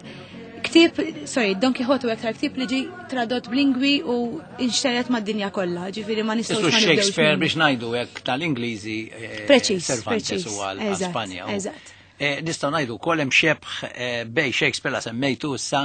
ktieb, sorry, Don Quixote huwa iktar ktieb li ġi tradott b'lingwi u inxteret mad-dinja kollha, ġifieri ma nistgħux Isu ma nibdewx Shakespeare minnu. biex ngħidu hekk tal-Ingliżi eh, Preċiż, Cervantes preċiż, u għal għal eżatt, Spanja. U, eżatt. eh, Nistgħu ngħidu wkoll hemm xebħ eh, bej Shakespeare la semmejtu issa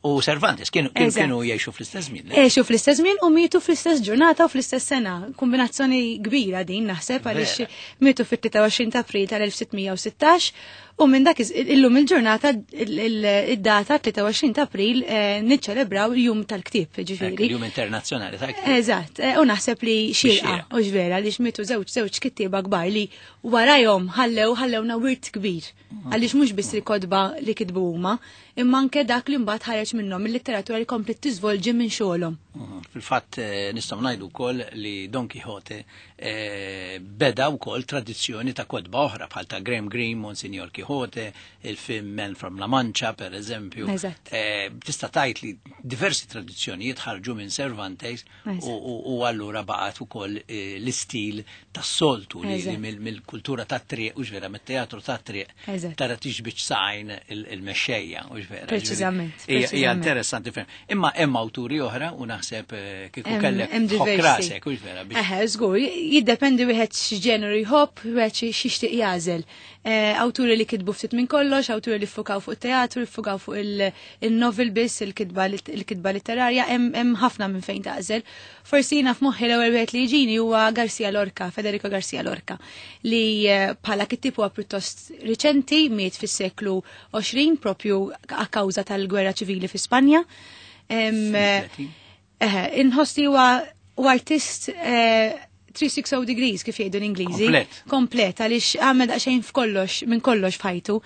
u Cervantes kienu kienu Eżatt. kienu jgħixu fl-istess żmien. le? Għexu fl-istess żmien u mietu fl-istess ġurnata u fl-istess sena. Kombinazzjoni kbira din naħseb għaliex Vera. mietu fit-tlieta u għoxrin ta' April tal-elf sitt mija u sittax u minn dak iż- illum il-ġurnata il- il- id-data tlieta u għoxrin ta' April eh, niċċelebraw il-jum tal-ktieb, Hekk, ġifieri. Il-Jum Internazzjonali ta' ktieb. Eżatt, eh, u naħseb li xirqa, Xierqa. u vera li mietu żewġ żewġ kittieba kbar li warajhom ħallew ħallewna wirt kbir. Għaliex mhux biss il-kotba li kitbu huma, imma anke dak li mbagħad ħareġ minnhom il-litteratura li komplet tiżvolġi minn xogħolhom. Mhm. Fil-fatt eh, nistgħu ngħidu wkoll li Don Quixote eh, beda wkoll tradizzjoni ta' kotba oħra bħal ta' Graham Greene, Monsignor Quixote, il-film Man from La Mancha per eżempju. Eżatt. Eh, Tista' tgħid li diversi tradizzjonijiet ħarġu minn Cervantes Eżatt. u, u, u allura baqgħet ukoll eh, l-istil tas-soltu li, li Eżatt. mill- mill-kultura tat-triq u vera mit-teatru tat-triq Eżatt. tara tiġbid sajn il- il-mexxejja u vera. Preċiżament, Hija- Hija preċiżament. interessanti ferm. Imma hemm awturi oħra u naħseb eh, kieku Hemm- kellek hemm tħokk diversi. rasek, u vera biex Eħe, żgur, jiddependi wieħed x'ġeneru jħobb, wieħed xi xixtieq jagħżel. Eh, Awturi li kitbu ftit minn kollox, awturi li ffukaw fuq teatru, ffukaw fuq il- il-novel biss, il-kitba il-kitba letterarja, hemm hemm ħafna minn fejn tagħżel. Forsi jiena f'moħħi l-ewwel wieħed li jiġini huwa Garcia Lorca, Federico Garcia Lorca, li eh, bħala kittib huwa pjuttost riċenti, miet fis-seklu għoxrin propju a kawża tal-gwerra ċivili fi Spanja. Em, eh, Eħe, inħoss li huwa u artist eh, three hundred sixty degrees kif jgħidu l-Ingliżi. Komplet. Komplet, għaliex għamel daqsxejn f'kollox, minn kollox f'ħajtu.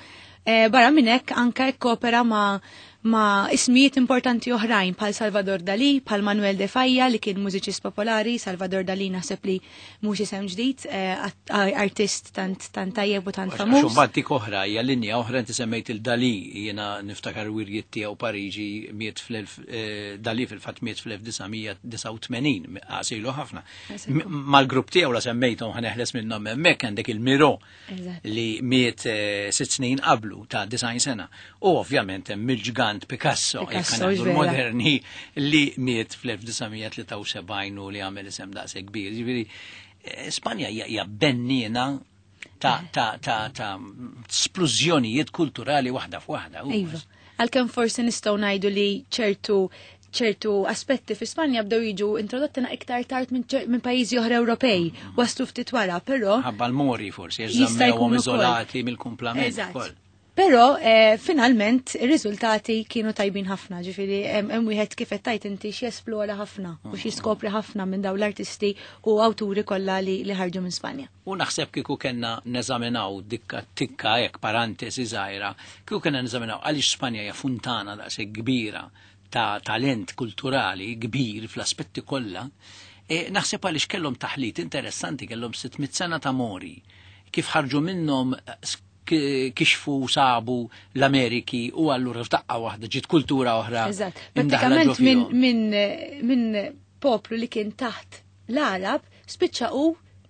Eh, barra minn hekk anke ikkopera ma' ma' ismijiet importanti oħrajn bħal Salvador Dali, bħal Manuel de Falla li kien mużiċist popolari, Salvador Dali naħseb li mhux isem ġdid, eh, att- artist tant tant tajjeb u tant Għax famuż. mbagħad dik oħra hija linja oħra, inti semmejt il-Dali, jiena niftakar wirjiet tiegħu Pariġi, miet fl-elf eh, Dali fil-fatt miet fl-elf disa' mija disgħa u tmenin, għasilu ħafna. Għasilu. M- Mal-grupp tiegħu la semmejthom ħa neħles minnhom hemmhekk għandek il-Miro Eżatt. li miet eh, sitt snin qablu ta' disgħin sena. U ovvjament hemm il-ġgant Picasso, jekk Picasso, ħa ngħidu vera. l-moderni li miet fl-elf disa' mija tlieta u sebgħin u li għamel isem daqshekk kbir. Ġifieri eh, Spanja hija hija bennina ta' ta' ta' ta' splużjonijiet kulturali waħda f'waħda. u- Iva. Għalkemm forsi nistgħu ngħidu li ċertu ċertu aspetti fi Spanja bdew jiġu introdotti na iktar tard minn ċer- minn pajjiżi oħra Ewropej, waslu ftit wara, però Ħabba l-Mori forsi, Jista' żammewhom jkun ukoll. iżolati mill-kumplament Eżatt. ukoll. Però eh, finalment ir-riżultati kienu tajbin ħafna, ġifieri hemm hemm wieħed kif qed tajt inti x'jesplora ħafna u x'jiskopri ħafna minn dawn l-artisti u awturi kollha li, li ħarġu minn Spanja. U naħseb kieku kellna neżaminaw dikka tikka hekk parentesi żgħira, kieku kellna neżaminaw għaliex Spanja hija funtana daqshekk kbira ta' talent kulturali kbir fl-aspetti kollha, e, naħseb għaliex kellhom taħlit interessanti, kellhom sitt mitt sena ta' Mori, kif ħarġu minnhom eh, sk- kixfu sabu l-Ameriki u allura f'daqqa waħda ġiet kultura oħra. Eżatt. imdaħla ġo Prattikament minn fihom. min, min poplu li kien taħt l-Arab spiċċa u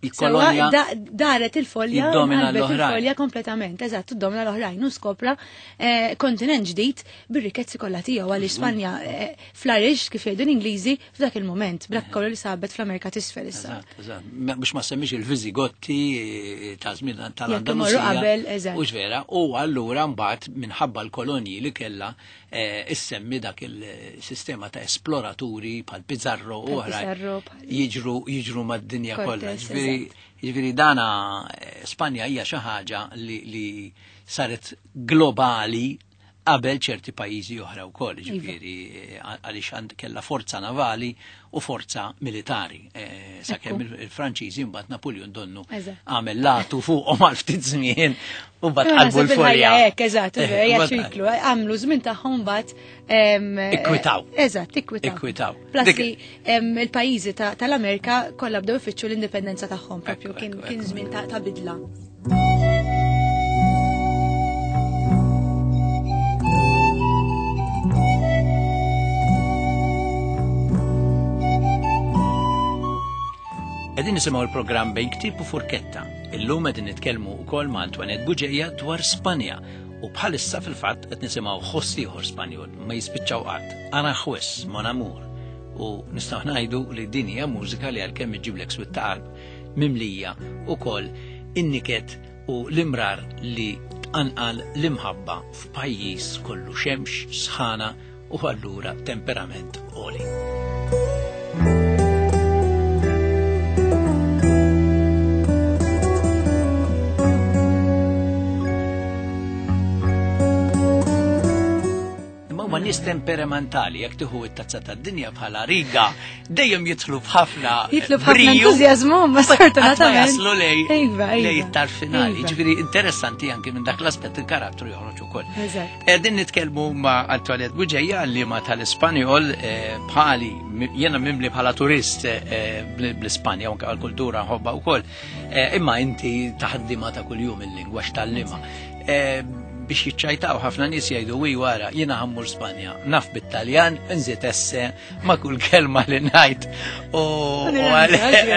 Il-kolonja sewa da, daret il-folja, jiddomina qalbet l-oħrajn. il-folja kompletament, eżatt, tiddomina l-oħrajn u skopra eh, kontinent ġdid bir-rikkezzi kollha tiegħu għaliex Spanja eh, flourish kif jgħidu l-Ingliżi f'dak il-moment, b'dak kollu li sabet fl-Amerika t'isfel issa. Eżatt, eżatt. Ma- Biex ma semmix il-Viżigotti eh, ta' żmien imorru tal-Andalusija. qabel, eżatt. Hux vera, u allura mbagħad minħabba l-kolonji li kellha eh, issemmi dak il-sistema ta' esploraturi bħal Pizarro u Bħal oħrajn Pizarro, bħal- jiġru jiġru mad-dinja kollha. Cortes, Ġifieri ġifieri dana eh, Spanja hija xi ħaġa li, li saret globali qabel ċerti pajjiżi oħra wkoll, Iva. ġifieri eh, għaliex għand kellha forza navali u forza militari. Eh, Sakemm Ekku. il- il-Franċiżi mbagħad Napoleon donnu Eżatt. għamel latu fuqhom għal ftit żmien u mbagħad Imma qalbu naħseb il-ħajja l-folja. hekk, eżatt, Eh, hija mbagħad- ċiklu, għamlu żmien tagħhom mbagħad em, Ikkwitaw. Eżatt, ikkwitaw. Ikkwitaw. Plus Dik- li em, il-pajjiżi ta- tal-Amerika kollha bdew ifittxu l-indipendenza tagħhom propju Ekku, kien ekku, kien ekku. żmien ta' ta' bidla. Qegħdin nisimgħu l-programm bejn ktieb u furketta. Illum qegħdin nitkellmu wkoll ma' Antoinette Buġeja dwar Spanja u bħalissa fil-fatt qed nisimgħu ħoss ieħor Spanjol ma jispiċċaw qatt. Aranjuez, Mon Amour. U nistgħu ngħidu li din hija mużika li għalkemm iġiblek swit ta' qalb mimlija ukoll in-niket u l-imrar li tqanqal l-imħabba f'pajjiż kollu xemx, sħana u allura temperament għoli. Imma huma nies temperamentali, jekk tieħu t-tazza tad-dinja bħala riga, dejjem jidħlu b'ħafna Jitlu b'ħafna briju. entużjażmu, ma Qatt ma sfortunatament. jaslu lej Iva, iva. lej it-tarf finali. Iva. Ġifieri interessanti anki minn dak l-aspett il-karattru joħroġ ukoll. Eżatt. Qegħdin nitkellmu ma' Antoinette Buġeja li ma tal-Ispanjol eh, bħali mi- jiena mimli bħala turist eh, bl- bl-Ispanja u anke għall-kultura nħobbha wkoll. Eh, Imma inti taħdima ta' kuljum il-lingwa x'tallima. Eh, Biex jiċċajtaw ħafna nies jgħidu wi wara jiena ħammur Spanja, naf bit-Taljan, nżid esse ma' kull kelma li ngħid. U u għal-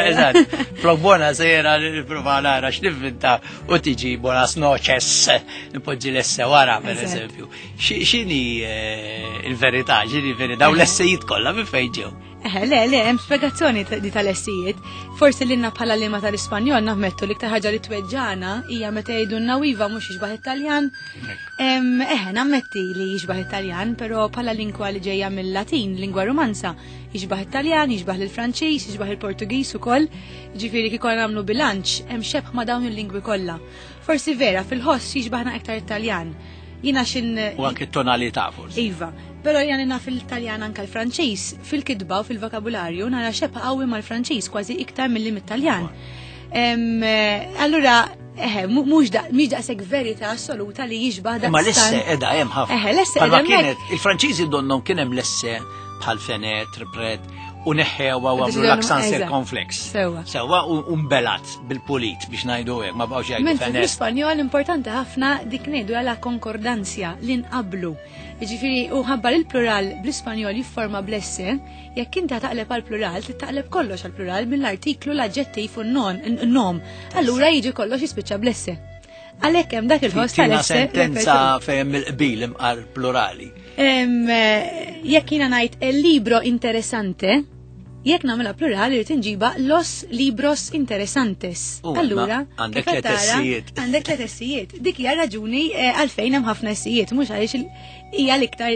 eżatt, flok bona sera nipprova nara x'nivvinta u tiġi buenas noches, nipoġġi l-esse wara per Eżatt. eżempju. Xi- X'inhi eh, il-verità, x'inhi il-verità, u l-essejiet kollha minn fejn ġew? Eh, le, le, hemm spjegazzjoni ta- di tal-essijiet. Forsi lilna bħala lima tal-Ispanjol naħmettu l-iktar ħaġa li tweġġana hija meta jgħidulna u iva mhux jixbaħ it-Taljan. Em, Eh, nammetti li jixbaħ it-Taljan, però bħala lingwa li ġejja mill-Latin, lingwa romanza, jixbaħ it-Taljan, jixbaħ il-Franċiż, jixbaħ il-Portugiż ukoll. Ġifieri kieku nagħmlu bilanċ, hemm xebh ma' dawn il-lingwi kollha. Forsi vera, fil-ħoss jixbaħna iktar it-Taljan. Jiena xin U anke t-tonalità forsi. Iva, però jani naf il-Taljan anka l-Franċiż, fil-kitba u fil-vokabularju nara xebha qawwi mal-Franċiż kważi iktar milli mit-Taljan. Em, eh, Allura, eħe, mu- mhux da- mhix daqshekk verità assoluta li jixbaħ daqstant. Imma l-esse edha hemm ħafna. Eħe, l-esse Bħalma edha hemmhekk. kienet, il-Franċiżi donnom kien hemm l-esse bħal fenet, pret, u neħħewa u għamlu Deċidew l-aksan eżatt. circonflex. Sewwa. Sewwa u u mbelat bil-pulit biex ngħidu hekk, ma bqgħux jgħidu Mentri fenet. fl-Ispanjol importanti ħafna dik ngħidu għala konkordanzja li nqablu. Jiġifieri u ħabbar il-plural bl-Ispanjol jifforma bl-esse, jekk inti taqleb għal plural, taqleb kollox għal plural mill-artiklu l-aġġettiv u n-non, n-nom. Allura jiġi kollox jispiċċa bl-esse. Għalhekk hemm dak il-ħoss Tina tal-esse. sentenza fejn il-qbil imqar plurali. Em, eh, Jekk jiena ngħid el libro interessante, Jekk nagħmilha plural irid inġiba los libros interesantes. U, Allura, ma għandek kif qed tliet tara, essijiet. Għandek tliet essijiet. Dik hija raġuni eh, għalfejn hemm ħafna essijiet, mhux għaliex il- hija l-iktar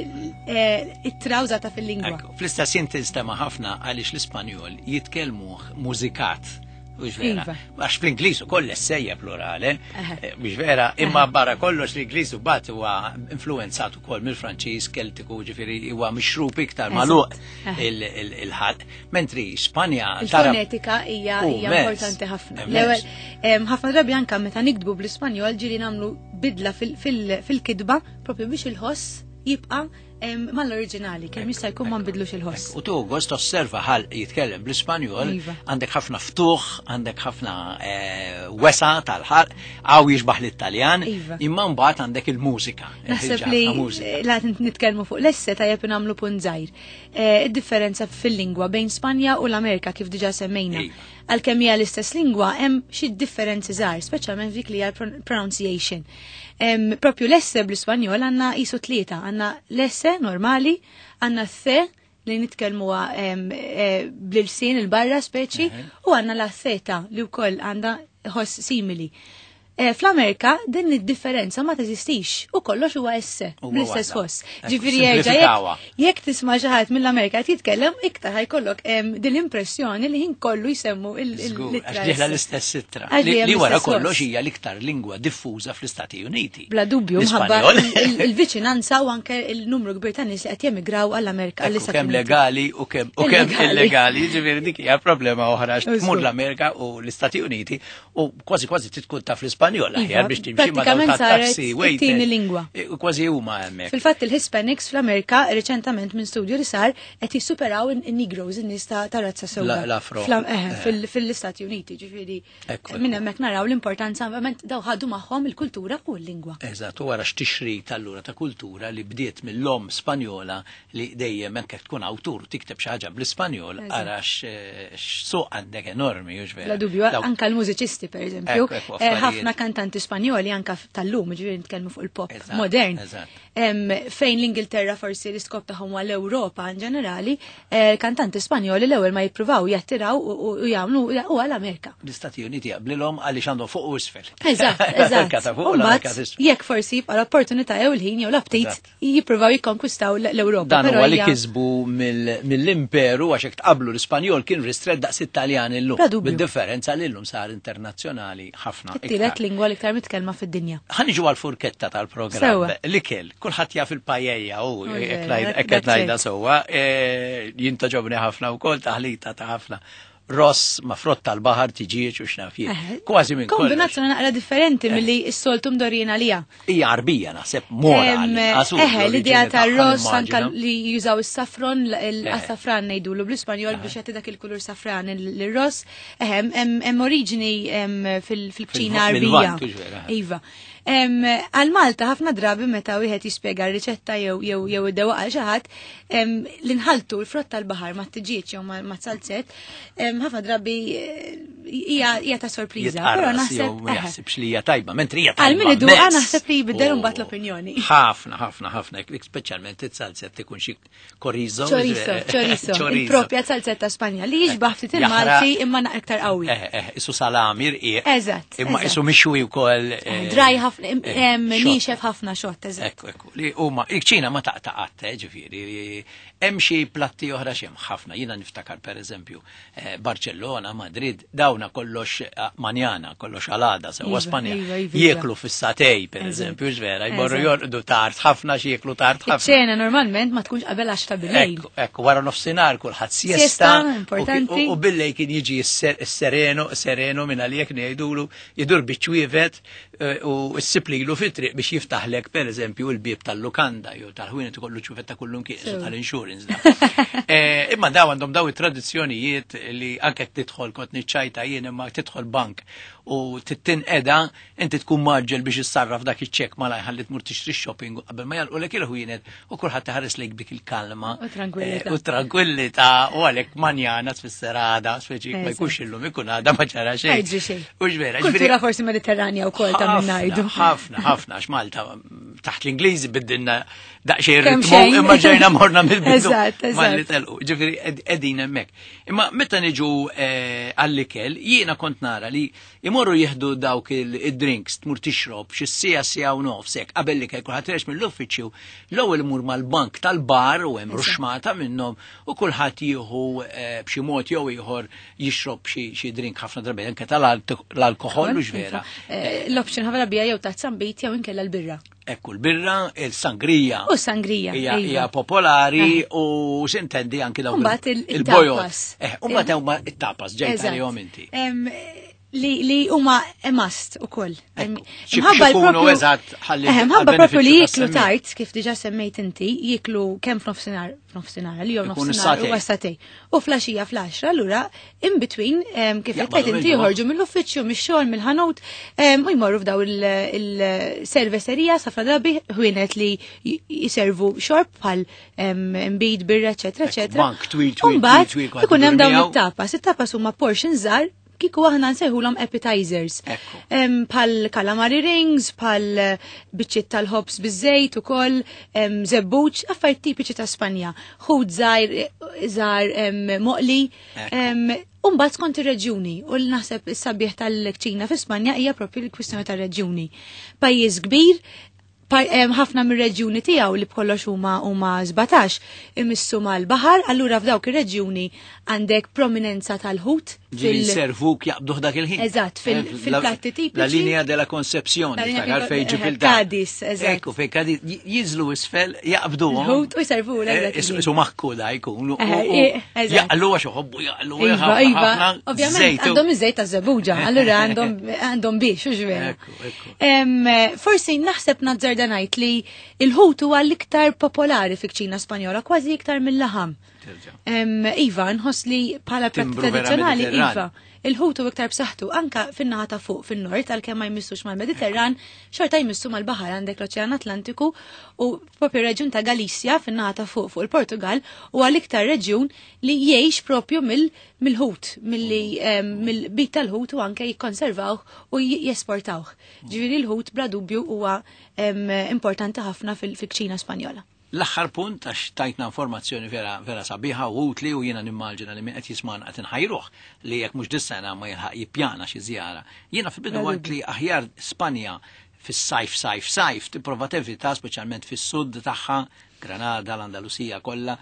eh, ittra użata fil-lingwa. Ekku, fl-istess jien tinstema' ħafna għaliex l-Ispanjol jitkellmuh mużikat. Mhux vera. Iva. Għax fl-Ingliż ukoll essejja plurale, Aha. eh, mhux vera, imma barra kollox l-Ingliż bat huwa influenzat ukoll mill-Franċiż, Keltiku, ġifieri huwa mixrub iktar Eżatt. magħluq Aha. il- il- il-ħalq. Mentri Spanja tara Il-fonetika hija Oh, hija mezz. importanti ħafna. Immens. L-ewwel em, ħafna drabi anka meta nikdbu bl-Ispanjol ġieli nagħmlu bidla fil- fil- fil-kitba propju biex il-ħoss jibqa' em, mal-oriġinali, kemm jista' jkun ma nbidlux il-ħoss. U tu gost osserva ħal jitkellem bl-Ispanjol, Iva. għandek ħafna ftuħ, għandek ħafna eh, wesa tal-ħalq, għaw jixbaħ l-Italjan, Iva. imma mbagħad għandek il-mużika. Naħseb Ħafna li mużika. la nitkellmu fuq l-esse tajjeb nagħmlu punt żgħir. Eh, Id-differenza fil-lingwa bejn Spanja u l-Amerika kif diġà semmejna. Iva. Għalkemm hija l-istess lingwa hemm xi differenzi żgħar, speċjalment dik li hija l pronunciation. Em, Propju l-esse bl-Ispanjol għandna qisu tlieta, għandna l-esse normali, għandna the li nitkellmuha em, eh, bl-ilsien il-barra speċi, u għandna la theta li wkoll għandha ħoss simili. Eh, Fl-Amerika din id-differenza ma teżistix u kollox huwa esse Huwa bl-istess waħda. ħoss. Ekku, Ġifieri jerġa' simplifikawha. jekk jekk tisma' xi ħadd mill-Amerika qed jitkellem iktar ħajkollok em, din l-impressjoni li ħin kollu jsemmu il- il- Żgur, l-ittra Għax diħla esse. l-istess ittra. Għax Li dejjem li wara l-istess kollox ħoss. hija l-iktar lingwa diffuża fl-Istati Uniti. Bla dubju, mħabba L-Ispanjol. il- il-viċinanza u anke il-numru kbir ta' nies li qed jemigraw għall-Amerika Ekku, għall-Istati kemm Uniti. legali u kemm u kemm Illegali. illegali, ġifieri dik hija problema oħra għax tmur Żgur. l-Amerika u l-Istati Uniti u kważi kważi titkun taf l-Ispanjol aħjar Iva, biex timxi ma' dawn prattikament tat-taxi saret waiter. it-tieni lingwa. E, u Kważi huma hemmhekk. Fil-fatt il-Hispanics fl-Amerika reċentament minn studju li sar qed jissuperaw in-Negroes, in-nies ta' ta' razza sewda. La- l-Afro. Fl- eh, Eh. fil- Fil-Istati Uniti, ġifieri. Ekku, Minn ekku. hemmhekk naraw l-importanza verament daw ħadu magħhom il-kultura u l-lingwa. Eżatt, u wara x'tixrid allura ta' kultura li bdiet mill-om Spanjola li dejjem anke tkun awtur tikteb xi ħaġa bl-Ispanjol Eżatt. ara x'suq għandek enormi, hux vera. Bla dubju, Dawk- anka l-mużiċisti per eżempju, Ekku, ekku, eh, affarijiet. ħafna kantanti Spanjoli anka tal-lum, ġifieri nitkellmu fuq il-pop Eżatt, modern. eżatt. Em, Fejn l-Ingilterra forsi l-iskop tagħhom huwa l-Ewropa in ġenerali, eh, kantanti Spanjoli l-ewwel ma jippruvaw jattiraw u u- u jagħmlu huwa l-Amerika. L-Istati Uniti jaqblilhom għaliex għandhom fuq u isfel. Eżatt, L-Amerika eżatt. ta' fuq u U l-Amerika mbagħad, t'isfel. jekk forsi jibqa' l-opportunità jew il-ħin jew l-aptit Eżatt. jippruvaw jikkonkwistaw l- l-Ewropa. Dan però huwa li hija- kisbu mill- mill-imperu għax hekk tqablu l-Ispanjol kien ristret daqs it-Taljan illum. Bla dubju. Bid-differenza li llum sar internazzjonali ħafna. It-tielet iktar. lingwa l-iktar mitkellma fid-dinja. Ħaniġu għal-furketta tal-programm. Sewwa. L-ikel, kulħadd jaf il-pajeja u U hekk vera, ngħid- hekk qed that's ngħidha it. sewwa. E, Jien toġobni ħafna wkoll taħlita ta' ħafna ross ma' frott tal-baħar tiġieġ u x'naf jien. Eh, Kważi minn kollox. Kombinazzjoni naqra differenti milli s-soltu mdorjina lija. Hija Arbija naħseb mora. Em, għall-inqas u Eħe, l-idea l-oriġini ta' tagħha ross anka nimmaġina. li jużaw is-safron, Eh. l-safran ngħidulu bl-Ispanjol biex jagħti dak il-kulur safran il-ross. Eħe, hemm hemm oriġini em, fil- fil-kċina Fil- Arbija. mill-Lvant, hux vera? Iva. Em, Għal Malta ħafna drabi meta wieħed jispjega r-riċetta jew jew jew id-dewqa għal xi ħadd, em, li nħaltu l-frott tal-baħar ma' tiġieġ jew ma' ma' salzett, em, ħafna drabi eh, hija hija ta' sorpriża. Però Jitqarras jew naħseb ma eħe. jaħsibx li hija tajba, mentri hija tajba. Għal min iduqha immens. naħseb li jbiddel U imbagħad l-opinjoni. Ħafna, ħafna, ħafna, speċjalment it-salzett ikun xi chorizo. Chorizo, chorizo, il-propja salzetta Spanja li jixbaħ ftit il-Malti imma naqra iktar qawwi. Eh, eh, isu salami rqiq. Eżatt, Imma eżatt. isu mixwi wkoll. eh, Draj ħafna, em- eh, em, xott. nixef ħafna xott, eżatt. Ekku, ekku. Li huma il-ċina ma taqta' qatt, eh, ġifieri. Hemm xi platti oħra x'hemm ħafna. Jiena niftakar pereżempju eh, Barcellona, Madrid, dawna kollox eh, manjana, kollox għalada sewwa Iva, Spanja. iva, iva, iva. Jieklu fis-satej pereżempju, ġvera, jmorru Eżatt. jorqdu tard ħafna xi jieklu tard ħafna. Iċ-ċena normalment ma tkunx qabel għaxra bil-lejl. Ekku, ekku, wara nofsinhar kulħadd siesta. Siesta, u ki- importanti. U, u billej kien jiġi s-ser- s-sereno, sereno minn għalijek ngħidulu jidur biċ-ċwievet eh, u s-siplilu fit-triq biex jiftaħlek pereżempju l-bieb tal-lukanda jew tal-ħwienet ikollu ċwievet ta' kullum kien Sew. tal-insurance. da. Eh, Imma daw għandhom daw it-tradizzjonijiet li anke tidħol kont niċċajta jien imma tidħol bank u titinqeda inti tkun maġġel biex issarraf dak iċ-ċekk malaj ħalli tmur tixtri shopping qabel ma jalqulek il-ħwienet u kulħadd iħares lejk dik il-kalma. U tranquillità. Eh, U tranquillità u għalhekk manjana tfisser għada, speċi ma Eżatt. jkunx illum ikun għada ma ġara Ma xejn. jiġri xejn. U ġvera, Kultura forsi mediterranja wkoll ta' minn ngħidu. Ħafna, ħafna, għax Malta mm, taħt l-Ingliżi biddilna daqsxejn Kemm ritmu, xejn. imma ġejna morna mill-bidu. Eżatt, eżatt. Malli telqu, ġifieri ed- qegħdin hemmhekk. Imma meta niġu eh, għall-ikel, jiena kont nara li imorru jieħdu dawk il- id-drinks tmur tixrob xi siegħa siegħa u nofs hekk qabel l-ikel kulħadd rex mill-uffiċċju, l-ewwel imur mal-bank tal-bar u hemm ruxmata minnhom u kulħadd jieħu eh, b'xi mod jew ieħor jixrob xi xi drink ħafna drabi anke tal-alkoħol u vera. Eh, L-option ħafna bija jew taħt sambit jew inkella l-birra. Ekku l-birra, il-sangrija. U sangrija. Hija iva. hija popolari u sintendi anki dawk Mbagħad il- il-bojod. il-tapas. Eh, u mbagħad huma it-tapas ġejt Eżatt. għalihom inti. Em, Li li huma a must ukoll. Em, Ekku. Xi- Mħabba x'ikunu l-propju- eżatt ħalli Eh, Mħabba propju li għall-benefiċċju jiklu tas-semmiegħ. tard, kif diġà semmejt inti, jiklu kemm f'nofsinhar, f'nofsinhar, li jew Ikun nofsinhar is-satej. u għas-satej. U flaxija fl-għaxra, allura in between em, kif qed Jaqbadu tgħid inti mill-ġimgħa. joħorġu mill-uffiċċju, mix-xogħol, mill-ħanut, em, u jmorru f'daw il-serveserija safra drabi ħwienet li j- jiservu xorb bħal em, imbid, birra, eċetera, Ekku, eċetera. bank twil, twil, U mbagħad twil, twil, kulħadd ikun hemm idur dawn miegħu. it-tapas. It-tapas huma portions żgħar kieku aħna nsejħulhom appetizers. Ekku. Em, Bħal calamari rings, bħal eh, biċċiet tal-ħobż biż-żejt ukoll, em, żebbuġ, affarijiet tipiċi ta' Spanja. Ħut żgħir żgħar em, moqli. Ekku. em, U mbagħad skont ir-reġjuni u l naħseb is-sabiħ tal-kċina fi Spanja hija propju l-kwistjoni tar-reġjuni. Pajjiż kbir, pa- em, ħafna mir-reġjuni tiegħu li b'kollox huma huma sbatax imissu mal-baħar, allura f'dawk ir-reġjuni għandek prominenza tal-ħut Ġieli servuk jaqbduh dak il-ħin. Eżatt, fil- Eh, la- fil-platti tipiċi. La linea della Concepción, La linea iftakar del- fej eh, Ġibilta. Cadiz, eżatt. Ekku, fej Cadiz, j- jiżlu isfel, jaqbduhom. Il-ħut u jservu l Eh, Isu isu maħku da jkun. u- Eh, u- eh, eżatt. Jaqlu għax uħobbu jaqlu. Iva, ħafna- iva, ħafna ovvjament żejt u- għandhom iż-żejt ta' żebuġa, allura għandhom għandhom biex, u vera. Ekku, ekku. Em, Forsi naħseb nazzarda ngħid li il-ħut huwa l-iktar popolari fi-kċina Spanjola, kważi iktar mill-laħam. Terġa'. Em, Iva, nħoss li bħala platt Timbru vera tradizzjonali, Mediterran. iva, il-ħut u iktar b'saħħtu anka fin-naħa ta' fuq fin-nord għalkemm ma jmissux mal-Mediterran, xorta jmissu mal-baħar għandek l-Oċean Atlantiku u propju reġjun ta' Galizja fin-naħa ta' fuq fuq il-Portugal u għal-iktar reġjun li jgħix propju mill- mill-ħut, milli em, mill-bit tal-ħut u anke jikkonservawh u j- jesportawh. Ġifieri l-ħut bla dubju huwa em, importanti ħafna fil- fil-kċina Spanjola. L-aħħar punt għax tajtna informazzjoni vera vera sabiħa u utli u jiena nimmaġina li min qed jismana qed inħajruh li jekk mhux dis-sena ma jilħaq jippjana xi żjara. Jiena fil-bidu għedt li aħjar Spanja fis-sajf sajf sajf tipprova tevita speċjalment fis-sud tagħha Granada, l-Andalusija kollha,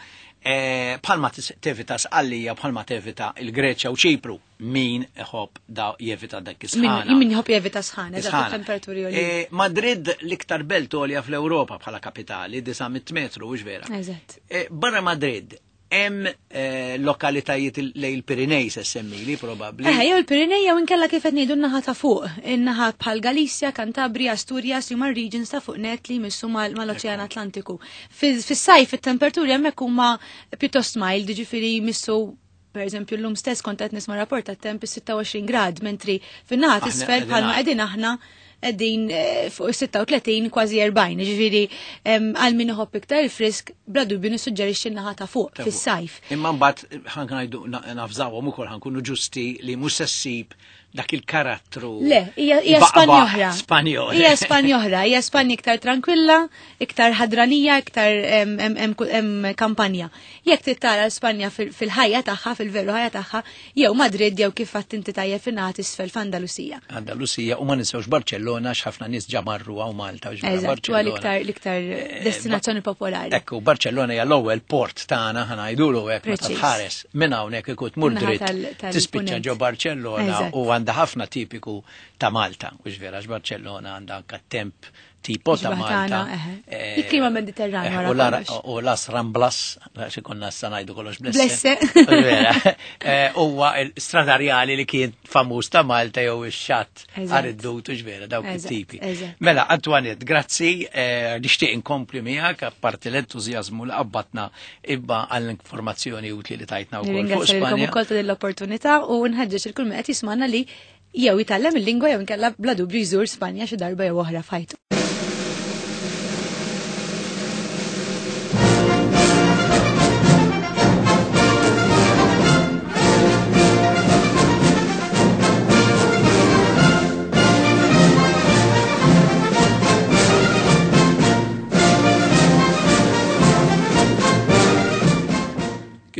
eh, bħalma tis- tevita Sqallija, bħalma tevita il-Greċja u Ċipru, min iħobb da jevita dak is-sħana. Min min jħobb jevita sħana, eżatt, Sħana. temperaturi għoljin. Eh, Madrid l-iktar belt għolja fl-Ewropa bħala kapitali, disa' mitt metru, mhux vera. Eżatt. Eh, Barra Madrid, hemm eh, lokalitajiet il- lejn il-Pirinej se semmili probabbli. Eh, jew il-Pirinej jew inkella kif qed ngħidu n-naħa ta' fuq, in-naħa bħal Galizja, Kantabria, Asturias, li huma regions ta' fuq net li jmissu mal- mal-Oċean Atlantiku. Fis- Fis-sajf it-temperaturi hemmhekk huma pjuttost mild, jiġifieri jmissu per eżempju llum stess kont qed nisma' rapport tat-temp is-sitta u għoxrin grad, mentri fin-naħa Aħna t'isfel qegħdin bħalma għal. qegħdin aħna qegħdin eh, fuq sitta u tletin kważi erbgħin, jiġifieri em, għal min iħobb iktar il-frisk bla dubju nissuġġerixxi n-naħa ta' fuq Ta' fuq. fis-sajf. Imma mbagħad ħank ngħidu na- nafżawhom ukoll ħankunu ġusti li mhux se ssib dak il-karattru. Le, hija hija baqbaq Spanja oħra. Spanjol. Hija Spanja oħra, hija Spanja iktar tranquilla, iktar ħadranija, iktar em, em, em, em, kampanja. Jekk trid tara Spanja fil- fil-ħajja tagħha, fil-veru ħajja tagħha, jew Madrid jew kif għadt inti tajjeb fin-naħa t'isfel f'Andalusija. Andalusija u ma ninsewx Barcellona x'ħafna nies ġa marru hawn Malta. u ġbara Eżatt, huwa Barcellona. l-iktar l-iktar Eh, destinazzjoni popolari. Ekku, Barcellona hija l-ewwel port tagħna ħa ngħidulu hekk meta Preċiż. tħares minn hawnhekk ikun tmur Min-naħa dritt tal- tal- tispiċċa punent. ġo Barcellona Eżatt. u għandha ħafna tipiku ta' Malta, u vera Barcellona għandha anke temp tipo ta' Ġbaħ Malta. tagħna, eħe. Eh, Il-klima Mediterran eh, wara u la- kollox. U Las Ramblas, xi konna sa ngħidu kollox blesse. Blesse. Vera. Eh, Huwa l-stradarjali li kien famuż ta' Malta jew ix-xatt Eżatt. għar-id-dut u vera dawk Eżatt, it-tipi. eżatt. Mela, Antoinette, grazzi, eh, nixtieq inkompli miegħek apparti l-entużjażmu li qabbatna ibba għall-informazzjoni utli li tajtna wkoll fuq Nirringrazzja lilkom Spanja. ukoll ta' din l-opportunità u nħeġġeġ il kull min qed jismana li jew jitgħallem il-lingwa jew inkella bla dubju jżur Spanja xi darba jew oħra f'ħajtu.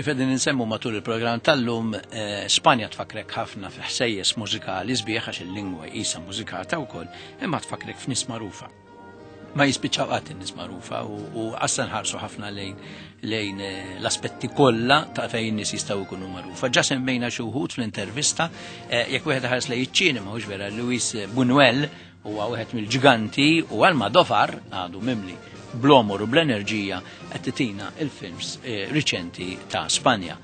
Kif qegħdin insemmu matul il-programm tal-lum, Spanja tfakrek ħafna fi ħsejjes mużikali sbieħ għax il-lingwa qisha mużikata wkoll, imma tfakrek f'nies magħrufa. Ma jispiċċaw qatt in-nies magħrufa u qassa nħarsu ħafna lejn lejn l-aspetti kollha ta' fejn in-nies jistgħu jkunu magħrufa. Ġa semmejna xi wħud fl-intervista, jekk wieħed ħares lejn iċ-ċinema mhux vera Luis Buñuel huwa wieħed mill-ġiganti u Almodovar għadu mimli bl-omor u bl-enerġija qed titina il-films riċenti ta' Spanja.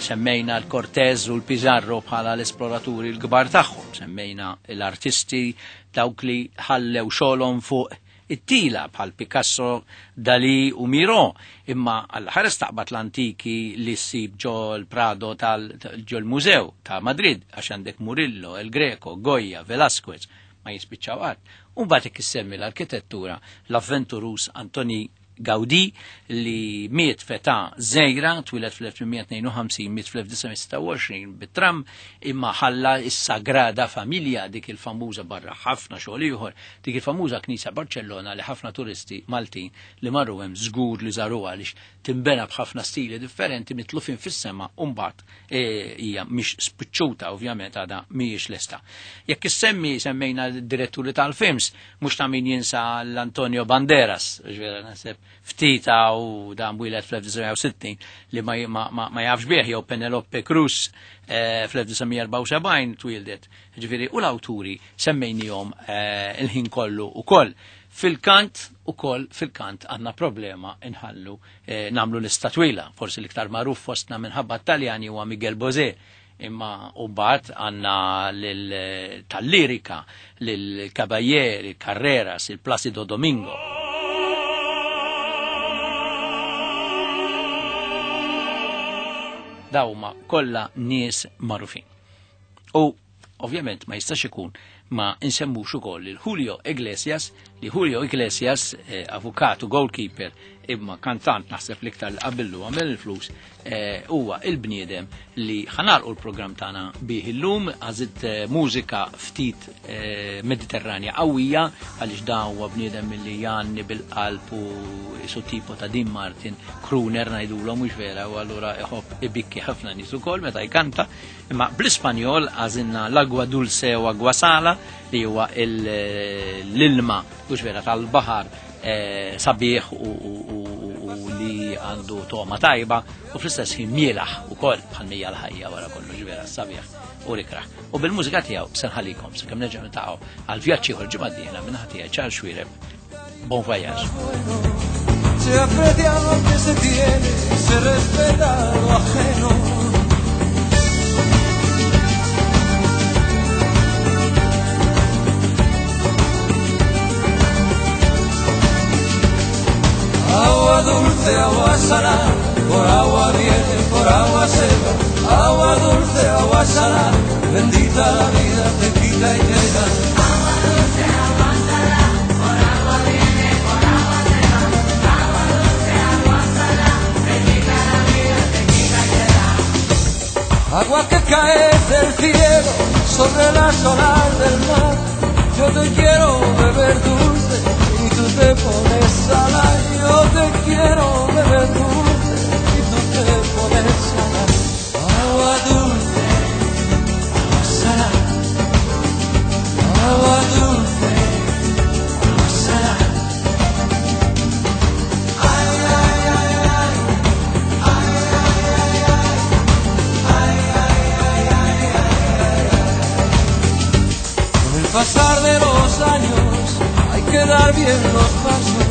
Semmejna l-Cortez u l-Pizarro bħala l-esploraturi l-kbar tagħhom, semmejna l-artisti dawk li ħallew xogħolhom fuq it-tila bħal Picasso, Dalí u Miro, imma għall-ħares taqbad l-antiki li ssib ġo l-Prado tal ġo l-Mużew ta' Madrid, għax għandek Murillo, El Greco, Goya, Velázquez, ma jispiċċaw qatt. U mbagħad jekk issemmi l-arkitettura l-avventurus Antoni Gaudí li miet f'età żgħira, twieled fl-elf tmien mija tnejn u ħamsin, miet fl-elf disa' mija sitta u għoxrin bit-tram, imma ħalla s-Sagrada Familja, dik il-famuża barra ħafna xogħol ieħor, dik il-famuża knisja Barcellona li ħafna turisti Maltin li marru hemm żgur li żaruha għaliex timbena b'ħafna stili differenti mitlufin fis-sema u mbagħad hija mhix spiċċuta ovvjament għadha mhijiex lesta. Jekk issemmi semmejna d-diretturi tal-films, mhux ta' min jinsa l-Antonio Banderas, ġifieri naħseb ftita u dan wieled fl-elf disa' mija u sittin li ma, ma, ma jafx bih, jew Penelope Cruz eh, fl-elf disa' mija erbgħa u sebgħin twildet. Ġifieri u l-awturi semmejnihom eh, il-ħin kollu ukoll. Fil-kant ukoll fil-kant għandna problema inħallu eh, nagħmlu lista twila, forsi l-iktar magħruf fostna minħabba Taljani huwa Miguel Bosé, imma u mbagħad għandna tal-lirika lil Caballé, il Carreras, il Placido Domingo. Dawma kollha nies magħrufin. U ovvjament ma jistax ikun ma insemmux ukoll il Julio Iglesias, li Julio Iglesias, eh, avukatu, goalkeeper, imma kantant naħseb l-iktar li qabillu għamel il-flus, huwa eh, il-bniedem li ħanalqu l-programm tagħna bih illum, għażilt eh, mużika ftit eh, Mediterranja qawwija għaliex dan huwa bniedem li jgħanni bil-qalb u su tipo ta' Dean Martin, crooner ngħidulhom mhux vera, u allura iħobb ibikki ħafna nies ukoll meta jkanta, imma bl-Ispanjol għażilna l-agwa dulce u agwa sala li huwa l-ilma mhux vera tal-baħar eh, sabiħ u, u, u, u li għandu toma tajba u fl-istess ħin mielaħ ukoll bħal mija l-ħajja wara kollox vera sabiħ u rikraħ. U bil-mużika tiegħu se nħallikom sakemm nerġa' niltaqgħu għal vjaġġ ieħor ġimgħa d-dieħla minn ħadd tiegħi Charles Xuereb. Bon voyage. Se aprecia lo que se tiene, se respeta lo ajeno. Agua dulce, agua salada, por agua viene, por agua se va. Agua dulce, agua salada, bendita la vida, te quita y te da. Agua dulce, agua salada, por agua viene, por agua se va. Agua dulce, agua salada, bendita la vida, te quita y te da. Agua que cae del cielo sobre las olas del mar. Yo te quiero beber dulce y tú te pones salada. Yo te quiero beber dulce y tú te pones salada. Agua dulce, agua salada. Agua dulce, agua salada. Ay, ay, ay, ay. Ay, ay, ay, ay. Ay, ay, ay, ay, ay, ay. Con el pasar de los años hay que dar bien los pasos,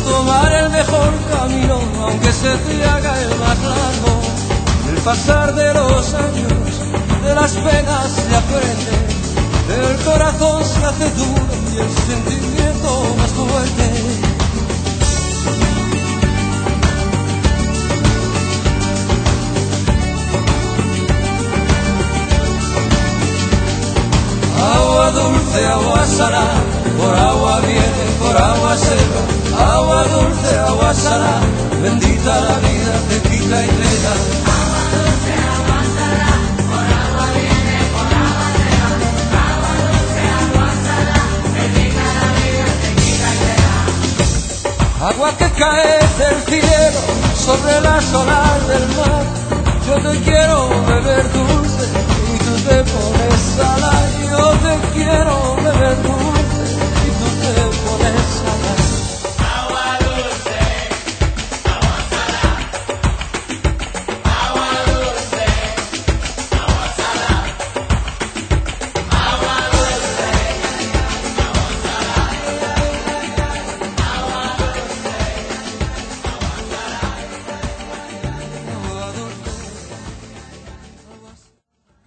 tomar el mejor camino, aunque se te haga el más largo. El pasar de los años, de las penas se aprende, el corazón se hace duro y el sentimiento más fuerte. Agua dulce, agua salada, por agua viene, por agua se va. Agua dulce, agua salada, bendita la vida, te quita y te da. Agua dulce, agua salada, por agua viene, por agua se va. Agua dulce, agua salada, bendita la vida, te quita y te da. Agua que cae del cielo Sobre las olas del mar. Yo te quiero beber dulce y tú te pones salada. Yo te quiero